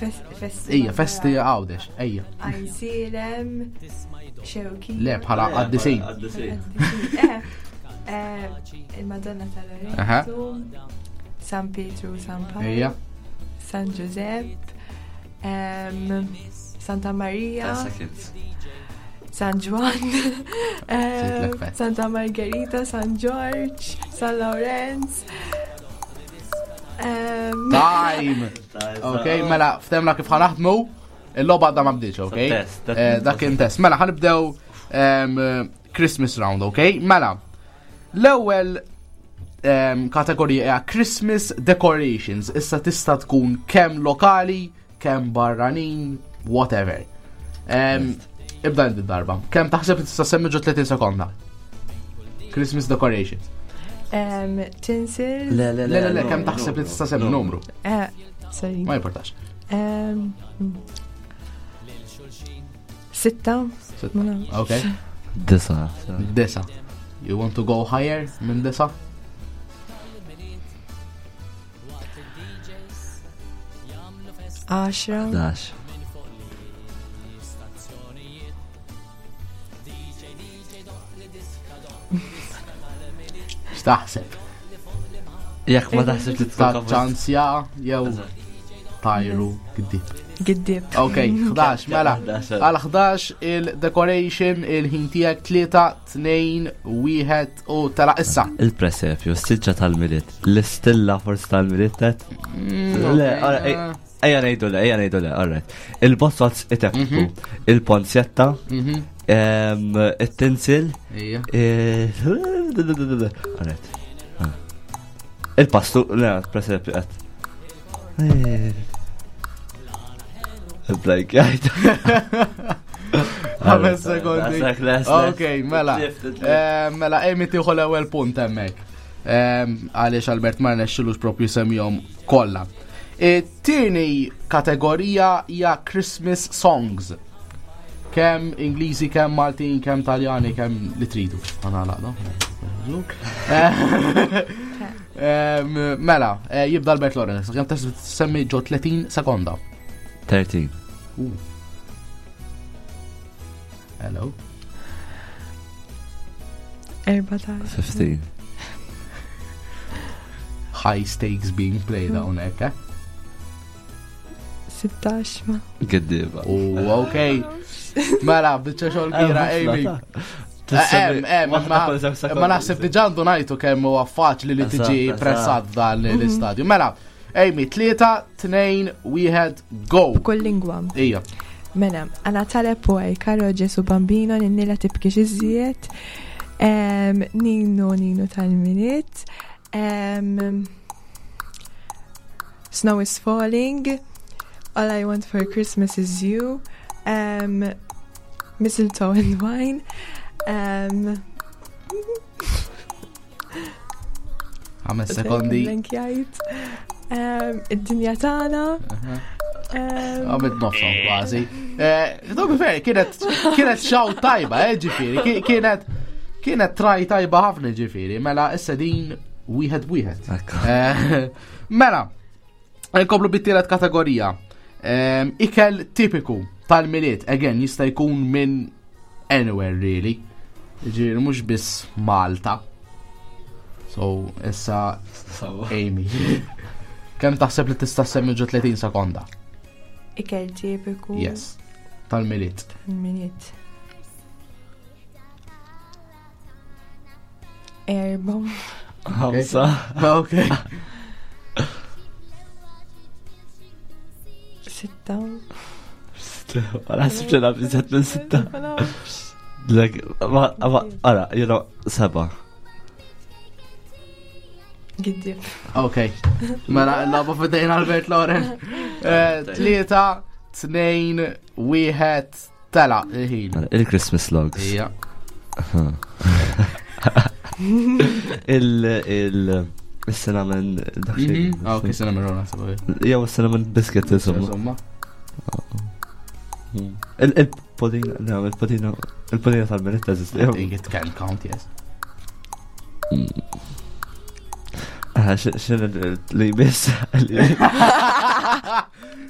Festi. Ejja, festi għawdex, ejja. Għajsilem, xewki. Le, bħala għaddisin. Eh, eh, il-Madonna tal-Lorenzo, San Pietru, San Paolo, Ejja. San Giuseppe, Santa Maria, San Juan, Santa Margherita, San George, San Lorenz. Time! Ok, mela, ftemna kif ħanaħdmu, il-loba għadha ma bdietx, ok? Eh, dak kien test. Mela, ħanibdew Christmas round, ok? Mela, l-ewwel kategorija hija Christmas decorations. Issa tista' tkun kemm lokali, kemm barranin, whatever. Ibda inti darba. Kemm taħseb li tista' semmi ġo 30 sekonda? Christmas decorations. Tinsel. Le, le, le, le, kemm taħseb li tista' semmi numru? Eh, sorry. Ma importax. Sitta. Ok. Disa. Disa. You want to go higher minn disa? 10. 11. X'taħseb? Jekk ma taħseb li tkun ċansja jew tajru giddib. Giddib. Ok, 11, mela. Għal 11 il-decoration il-ħin tiegħek 3, 2, 1 u tela issa. Il-presepju, s-siġġa tal-miliet, l-istilla forsi tal-miliet tet. Mm, le, ejja ngħidu le, ejja ngħidu le, alright. Il-bozzozz iteffu, mhm. il-ponzjetta, mhm. it-tinsil, eh, alright. Ah. Il-pastu, le, presepju qed. Eh. Blajk, jgħid. Ħames sekondi. Ok, mela. Eh, mela, Amy tieħu l-ewwel punt hemmhekk. Eh, għaliex Albert ma rnexxilux propju semmihom kollha. E, tieni kategorija hija Christmas songs. Kemm Ingliżi, kemm Maltin, kemm Taljani, kemm li tridu. Għana laqda. Mela, eh, jibda Albert Lawrence, kemm semmi ġo 30 sekonda. 13. Hello. 14. 15. High stakes being played hawnhekk, eh? 16 ma. Giddiba. U ok. Mela, biċċa xogħol kbira, Amy. Ma naħseb diġà għandu ngħidu kemm huwa faċli li tiġi pressat f'dan l-istadju. Mela, Amy, 3, 2, 1, go. Kull lingwa. Ija. Mela, għana taleb u Karo Ġesu Bambino, ninnila tibkix iżjed, Nino Nino tal-Miliet, Snow is Falling, All I Want for Christmas is You, um, Mistletoe and Wine, um, Ħames sekondi. Blankjajt. Um, Id-dinja tagħna. Għamil nofsom kważi. Eh, to be fair, kienet kienet xaw tajba, eh, ġifieri, kienet kienet traj tajba ħafna ġifieri, mela issa din wieħed wieħed. Eh, mela, nkomplu bit-tielet kategorija. Ehm, ikel tipiku tal-miliet, again, jista' jkun minn anywhere really. Ġifieri mhux biss Malta. So, issa Amy. Kemm taħseb li tista' semmi ġo 30 sekonda? Ikel tipiku. Yes. Tal-miliet. Tal-miliet. Erba. Ħamsa. Ok. Sitta. Ma naħsibx li naf iżjed minn sitta. Like, ma, ma, ara, you know, seba. Giddib. Ok. Mela, laba fidejn Albert Loren. Eh, tlieta, tnejn, wieħed, tela, il-ħin. Mela, Il-Christmas logs. Ija. Il, il, il-cinnamon, dak xejn. Mhm. Ah, ok, cinnamon roll, naħseb. Jew cinnamon biscuit, insomma. Insomma. Il-podina, no, il-podina, il-podina tal-miliet teżisti. I think it can count, yes. Ah, xin li biss.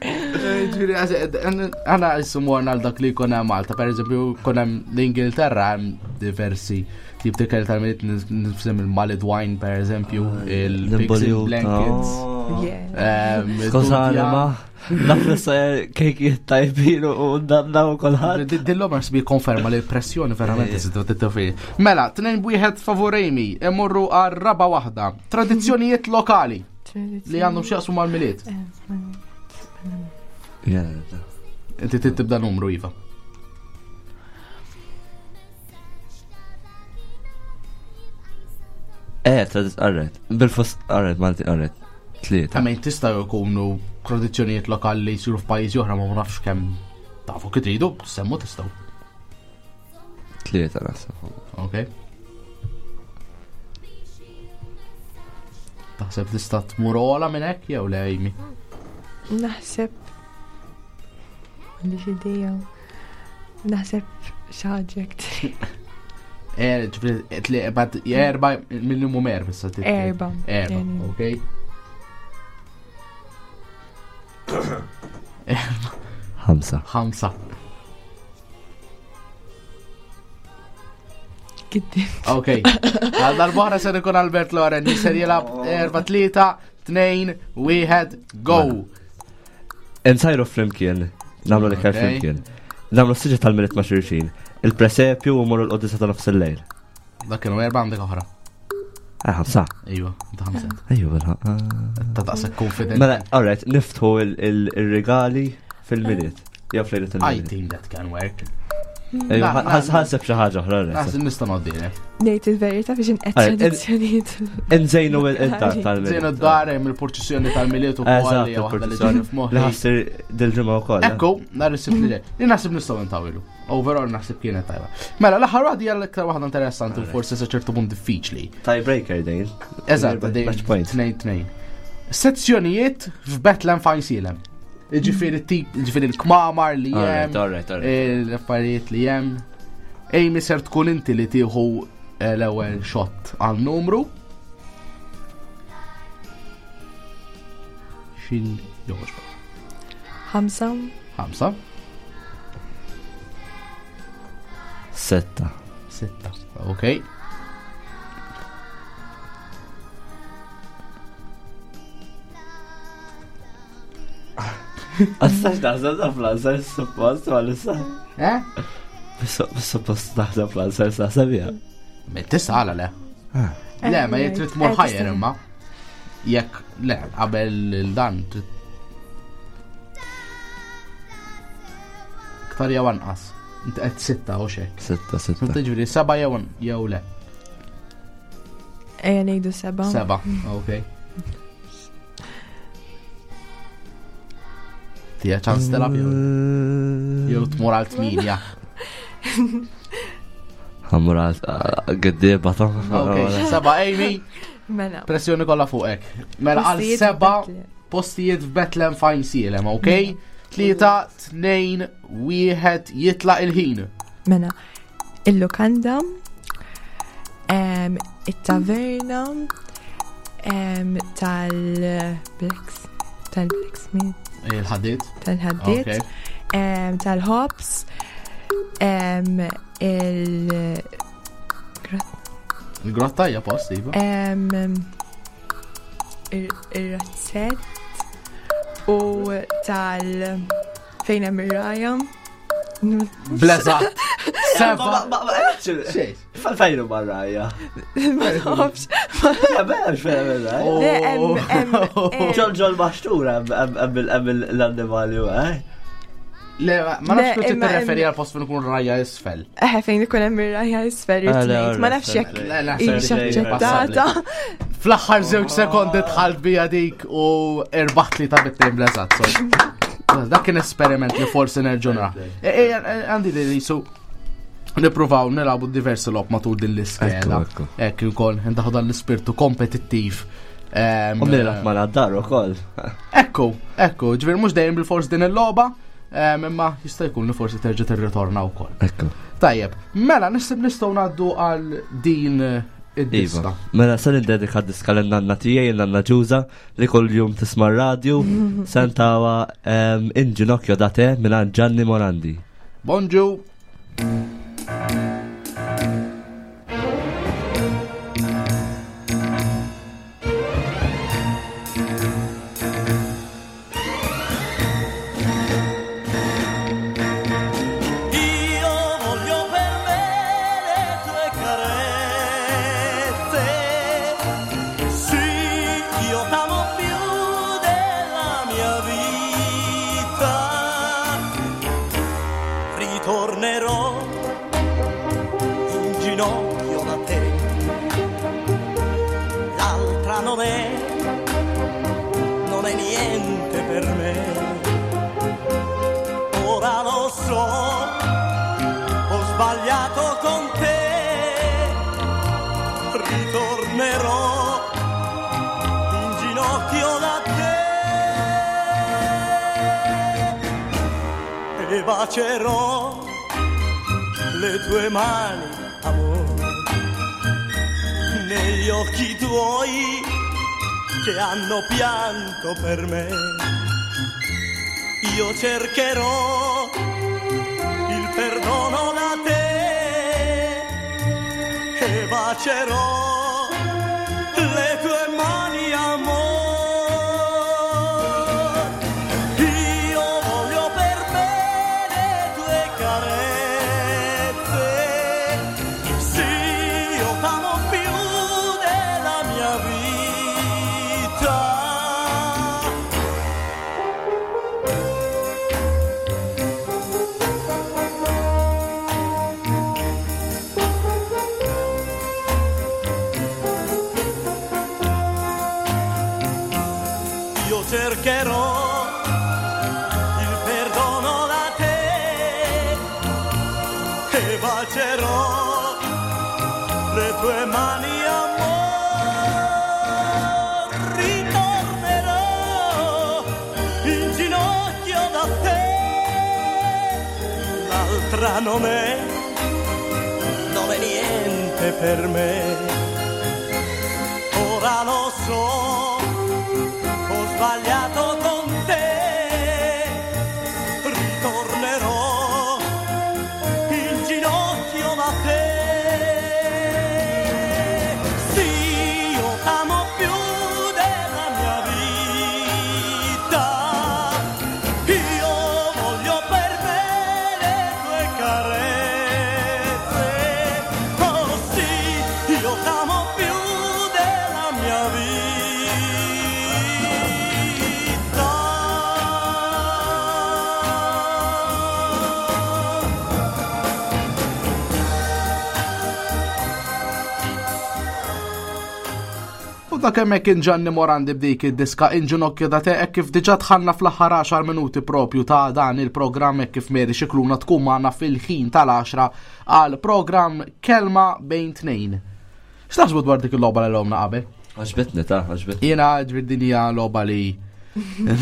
Ġifieri, għana jissu morna għal dak li jkun hemm Malta, per eżempju, kun hemm l-Ingilterra hemm diversi tip ta' ikel tal-miliet nifsim il-Malid wine, per eżempju, Ah, il-Pigs in Blankets. Skużani, ma naf li sa kejkijiet tajbin u danna u kolħadd. Dillom għax bi konferma li pressjoni verament iżid t-tofi. Mela, tnejn bwieħed favur Amy, imorru għal raba waħda. Tradizzjonijiet lokali li għandhom x'jaqsmu mal-miliet. Inti trid tibda numru, Iva. Eh, tradiz, alright. Bil-fos, alright, Malti, alright. Tlieta. Ta' mejn tista' jkunu tradizzjonijiet lokali li jsiru f'pajjiżi oħra ma nafx kemm tafu kif tridu, semmu tistgħu. Tlieta naħseb. Ok. Taħseb tista' tmur ola minn hekk jew le Amy? Naħseb m'għandix idea. Naħseb xi ħaġa hekk. Eh, ġifieri, bad erba minimum erba issa trid. Erba. Erba, ok. Erba. Ħamsa. Ħamsa. Giddim. Ok. Għal darbohra ser ikun Albert Loren, ser jilab 4, 3, 2, 1, go! Nsajru flimkien, namlu l-iktar flimkien. Namlu s-siġa tal-milit ma' xulxin. Il-presepju u morru l-qoddisa ta' nofs il-lejl. Dak kienu erba' għandek oħra. Ah, ħamsa. Ejwa, ta' ħamsa. Ejwa, bil Ta' daqshekk confident. Mela, alright, niftħu il-regali fil-miliet. Jew fl-lejlet I think that can work. Ħanseb xi ħaġa oħra. Naħseb nista' ngħoddilek. Ngħid il-verità biex inqed tradizzjonijiet. Nżejnu il-dar tal-miliet. Nżejnu d-dar hemm il-purċissjoni tal-miliet ukoll li waħda li ġiet f'moħħi. Li ħassir dil-ġimgħa wkoll. Ekku, nhar is-sibt li ġej. Li naħseb nistgħu ntawilu. Overall naħseb kienet tajba. Mela, l-aħħar waħda hija l-iktar waħda interessanti u forsi sa ċertu punt diffiċli. Tiebreaker dejn. Eżatt, dejn. Tnejn tnejn. Sezzjonijiet f'Bethlehem fejn Silem. Ġifieri tip, ġifieri l-kmamar li hemm. L-affarijiet li hemm. Amy ser tkun inti li tieħu eh, l-ewwel shot għal numru. Xin jogħġbok? Ħamsa. Ħamsa. Setta. Sitta. Ok. Għastax naħseb ta' fl-answer suppost ma lissa. Eh? Suppost naħseb fl-answer naħseb ja. Tista' għala le. Ah. Le, ma jek trid tmur Eh, ħajjer tista' imma. Jekk le, qabel dan trid Iktar jew anqas. Inti qed sitta u xek. Sitta, sitta. Tiġri seba' jew jew le. Ejja ngħidu seba. Seba, ok. Tija ċans telab jew jew tmur għal tminja. Ħammur għal għeddiba ta' Ok, seba' Amy, Mela. pressjoni kollha fuqek. Mela għal Postijiet seba' f'Bethlehem. postijiet f'Bethlehem fajn sielem, ok? Tlieta, tnejn, wieħed, jitlaq il-ħin. Mela. Il-lukanda, it-taverna, tal-Blacks, tal-Blacksmith, Il-ħaddit. tal-ħaddiet, Ok. tal-ħobs, il- Il-grotta hija post, iva. Ir-razzett u tal fejn hemm ir-raja. Bleza. Seba. Xejn. Fejnu barraja. Ma nafx. Ja, bella xejn barraja. Le, hemm- Ġol ġol maxtura hemm l-annimali, eh? Le, ma nafx Le, kux imma tirreferi għal post fejn ikun rajja isfel. Eħe fejn ikun hemm ir-raja isfel Ah, le, irtnejt. Ma nafx jekk Le, naħseb hix li aċċettata. Fl-aħħar żewġ sekondi dħalt bija dik u erbaħt li ta' bit-tejn blezat. So. Dak kien esperiment li forsi nerġu nara. E, e, Għandi li jisu nipruvaw nilabu diversi lob matul din l-iskeda. Ekku, ekku. Ekk ukoll ndaħu dan l-ispirtu kompetittiv. U nilgħab ma naddar ukoll. Ekku, ekku, ġifieri mhux dejjem bil-fors din il-logħba, imma jista' jkun li forsi terġa' tirritorna wkoll. Ekku. Tajjeb, mela nisib nistgħu ngħaddu għal din id-diska. Iva. Mela se nindedika diska lin-nanna tiegħi, nanna Ġuża, li kull jum tisma' radju, sentawa In ginocchio da te mingħand Gianni Morandi. Bonġu. Io voglio per me le tue carezze. Sì, io t'amo più della mia vita. Ritornerò in ginocchio da te. L'altra non è, non è niente per me. Ora lo so, ho sbagliato con te, ritornerò in ginocchio da te e bacerò le tue mani, amore, negli occhi tuoi che hanno pianto per me. Io cercherò il perdono da te e bacerò le tue mani, amor. Io voglio per me le tue carezze. Sì, io t'amo più della mia vita. Io cercherò il perdono da te e bacerò le tue mani, amor. Ritornerò in ginocchio da te. L'altra non è, non è niente per me. Ora lo so, ho sbagliato con te. Ritornerò in ginocchio da te. Sì, io t'amo più della mia vita. Io voglio per me le tue carezze. Oh sì, io t'amo più della mia vita. U dak hemmhekk kien Gianni Morandi b'dik id-diska In ġinokkju da te hekk kif diġà dħalna fl-aħħar 10 minuti propju ta' dan il-programm hekk kif Mary Xikluna tkun magħna fil-ħin tal-10 għal programm Kelma bejn tnejn. X'taħsbu dwar dik il-logħba li logħobna qabel? Għaġbitni ta' għaġbitni. Jiena ġbir din hija logħba li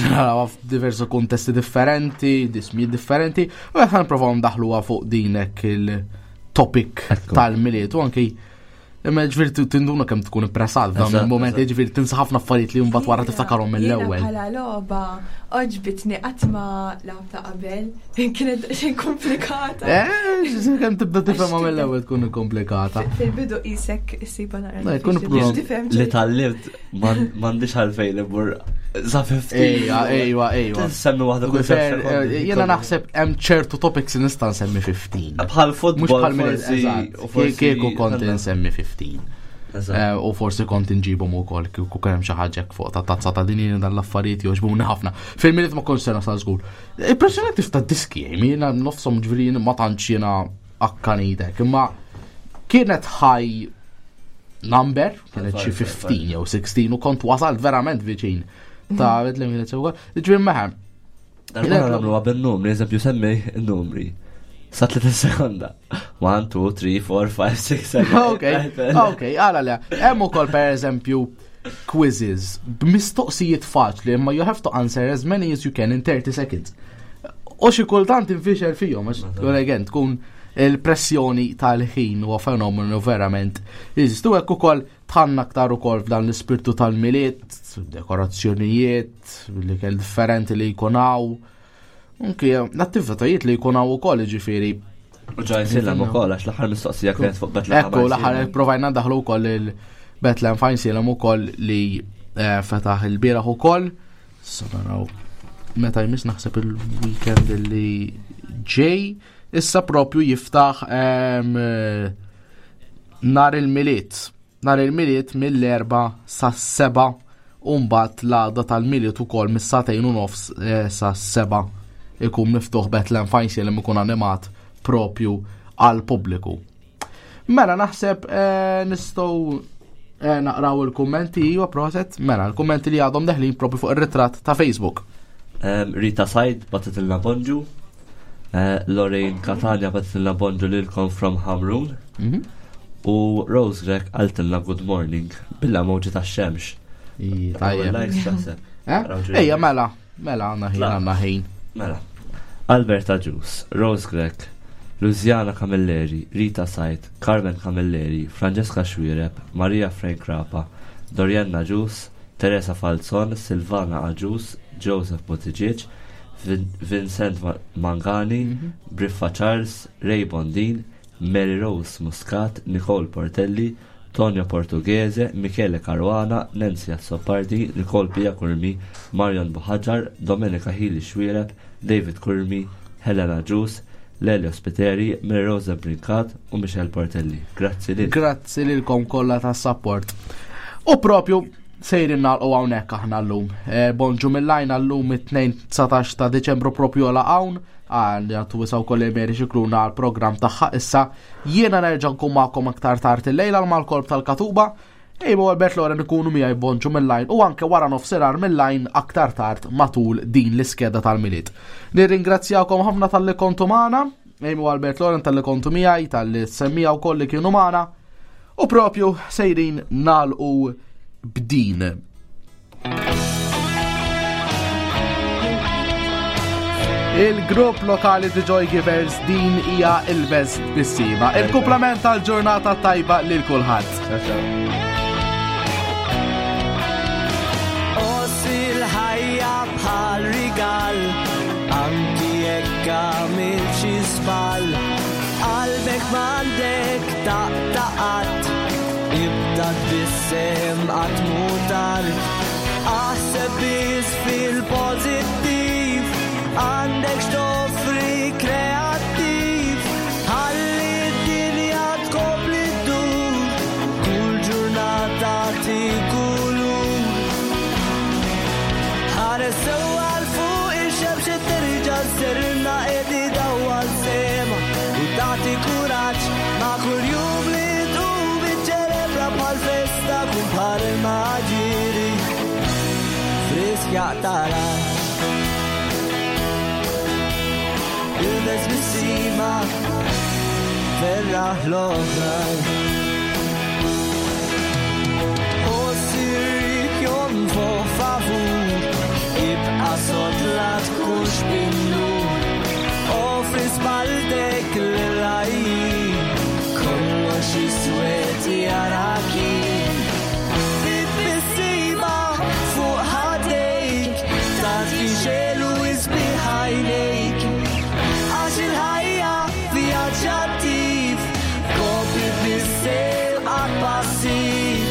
narawha f'diversi kuntesti differenti, dismijiet differenti, u qed nipprovaw ndaħluha fuq dinek il-topic tal-miliet u anki Imma ġviri tinduna kemm tkun ippressat f'dawn il-momenti, ġviri tinsa ħafna affarijiet li mbagħad wara tiftakarhom mill-ewwel. Jiena Bħala logħba oġbitni qatt ma lagħabta qabel, kienet xejn komplikata. Eh, kemm tibda tifhemha mill-ewwel tkun komplikata. Fil-bidu qisek issiba naqra. Ma jkun diffiċli biex tifhem Li tal-libt m'għandix għalfejn li bur sa 15. Ejja, ejwa, ejwa. Semmi waħda kull Fer, sekonda. Jiena naħseb hemm ċertu topics li nista' nsemmi 15. Bħal futbol Mhux bħal minn forsi, eżatt. u forsi- Kieku kont insemmi 15. Eżatt. U forsi kont inġibhom ukoll kieku kien hemm xi ħaġa hekk fuq ta' tazza ta' din dan l-affarijiet jogħġbuni ħafna. Fil-miliet ma kontx se nasal żgur. Impressjonanti f'ta' diski, jiena nofshom ġifieri ma tantx jiena akkanitek, imma kienet high number, kienet xi 15 jew 16 u kont wasalt verament viċin ta' li kienet sewwa. Ġifieri meħem. Darba nagħmluha bin-numri, eżempju semmi n-numri. Sa 30 sekonda. 1, 2, 3, 4, 5, 6, 7. Ok, ok, għala le. Hemm ukoll per eżempju quizzes b'mistoqsijiet faċli imma you have to answer as many as you can in 30 seconds. U xi kultant infixel fihom għax tkun again tkun il-pressjoni tal-ħin huwa fenomenu verament jeżistu hekk ukoll tħanna aktar ukoll f'dan l-ispirtu tal-miliet, dekorazzjonijiet, l-ikel differenti li jkun hawn. Anki l-attivitajiet li jkun hawn ukoll jiġifieri U ġaj silem ukoll għax l-aħħar mistoqsija kienet fuq Bethlehem. Ekku, l-aħħar provajna daħlu wkoll il-Bethlehem Fine Salem ukoll li eh, fetaħ il-bieraħ ukoll. Issa naraw meta jmiss naħseb il-weekend li ġej issa propju jiftaħ ehm, eh, nar il-miliet. Nar il-miliet mill-erba sa' seba u mbagħad l-għada tal-miliet ukoll mis-sagħtejn u nofs eh, sa' seba ikun miftuħ Bethlehem Fine Salem ikun animat propju għal pubbliku. Mela naħseb eh, nistgħu eh, naqraw il-kummenti iwa proset, mela l-kummenti li għadhom deħlin propju fuq ir-ritratt ta' Facebook. Rita Said batitilna bonġu. Lorraine Catania batitilna bonġu lilkom from Hamrun. U Rose Grek qaltilna good morning billa mowġi tax-xemx. Tajjeb. Likes taħseb. Eh? Ejja, mela, mela għandna ħin, għandna ħin. Mela. Alberta Ġus, Rose Grek, Luziana Camilleri, Rita Said, Carmen Camilleri, Francesca Xuereb, Maria Frank Rapa, Dorianna Ġus, Teresa Falzon, Silvana Aġus, Joseph Buttigieg, Vincent Mangani, Briffa Charles, Ray Bondin, Mary Rose Muscat, Nicole Portelli, Tonio Portughese, Michele Caruana, Nancy Azzopardi, Nicole Pia Curmi, Marion Buhaġar, Domenica Hili Xuereb, David Curmi, Helena Ġus, Lelio Spiteri, Mary Rose Brincat u Michelle Portelli. Grazzi lil. Grazzi lilkom kollha tas-support. U propju sejrin nagħlqu hawnhekk aħna llum. Eh, Bonġu mill-lajna llum it-2 19 ta' Deċembru propju għala hawn għal għatu wisaw kolli Mary Xikluna għal program tagħha issa jiena nerġa' nkun magħkom aktar tard illejla mal-kolb tal-Katuba. Ejbu Albert Loren ikunu miegħi bonġu mill-lajn u anke wara nofsinhar mill-lajn aktar tard matul din l-iskeda tal-miliet. Nirringrazzjakom ħafna talli kontu magħna, Ejbu Albert Loren talli kontu miegħi, talli semmija wkoll li kienu magħna. U propju sejrin nagħlqu b'din. Il-grupp lokali The Joy Givers din hija il-best bissima. Il-kumplament tal-ġurnata tajba lil kulħadd. Għoss il-ħajja. Jekk għamilt xi żball, qalbek m'għandek taqta' qatt. Ibda tbissem qatt mhu tard. Aħseb biss fil-pożittiv, għandek x'toffri kreattiv. Ħalli d-dinja tkompli ddur, kull ġurnata kulur. Ħares sewwa 'l fuq ix-xemx terġa' ssirna qed idawwal sema u tagħti kuraġġ ma' kull jum li tqum iċċelebra bħal festa kun bħal il-maġiri frisk jaqtarax. Ilbes bissima ferraħ l-oħrajn. Ħoss jonfoħ favur, ibqa' sod la tkunx bin-nur. Offri spalltek lil-għajjin, kollox iswed jarak jien. Bi-tbissima fuq ħaddejk, tagħti xelu isbieħ għajnejk. Għax il-ħajja vjaġġ attiv, kompli tbissem qatt passiv.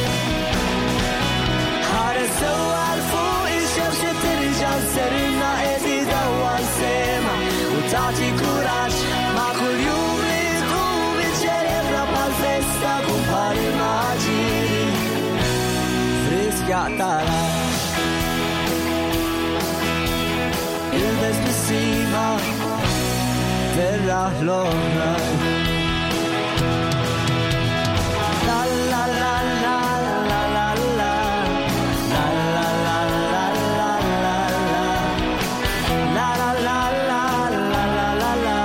Ħares sewwa 'l fuq ix-xemx terġa' sserina qed idawwal sema u tagħti kuraġġ ma' kull jum li tqum iċċelebra bħal festa kun bħal il-maġiri frisk jaqtarax. Ilbes tbissima ferraħ l-oħrajn. La la la la la la la. La la la la la la la. La la la la la la la la.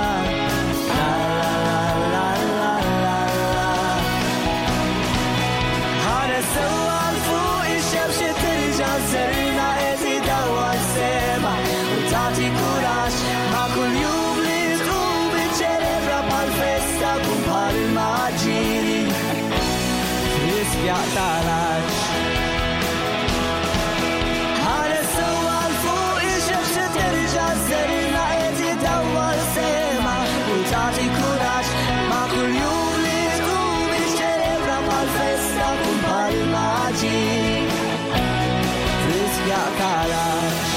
La la la la la la la. Ħares sewwa 'l fuq ix-xemx terġa' sserina qed idawwal sema u tagħti kuraġġ ma' kull jum li tqum iċċelebra bħal festa kun bħal il-maġiri frisk jaqtarax. Ħares sewwa 'l fuq ix-xemx terġa' sserina qed idawwal sema u tagħti kuraġġ ma' kull jum li tqum iċċelebra bħal festa kun bħal il-maġiri frisk jaqtarax.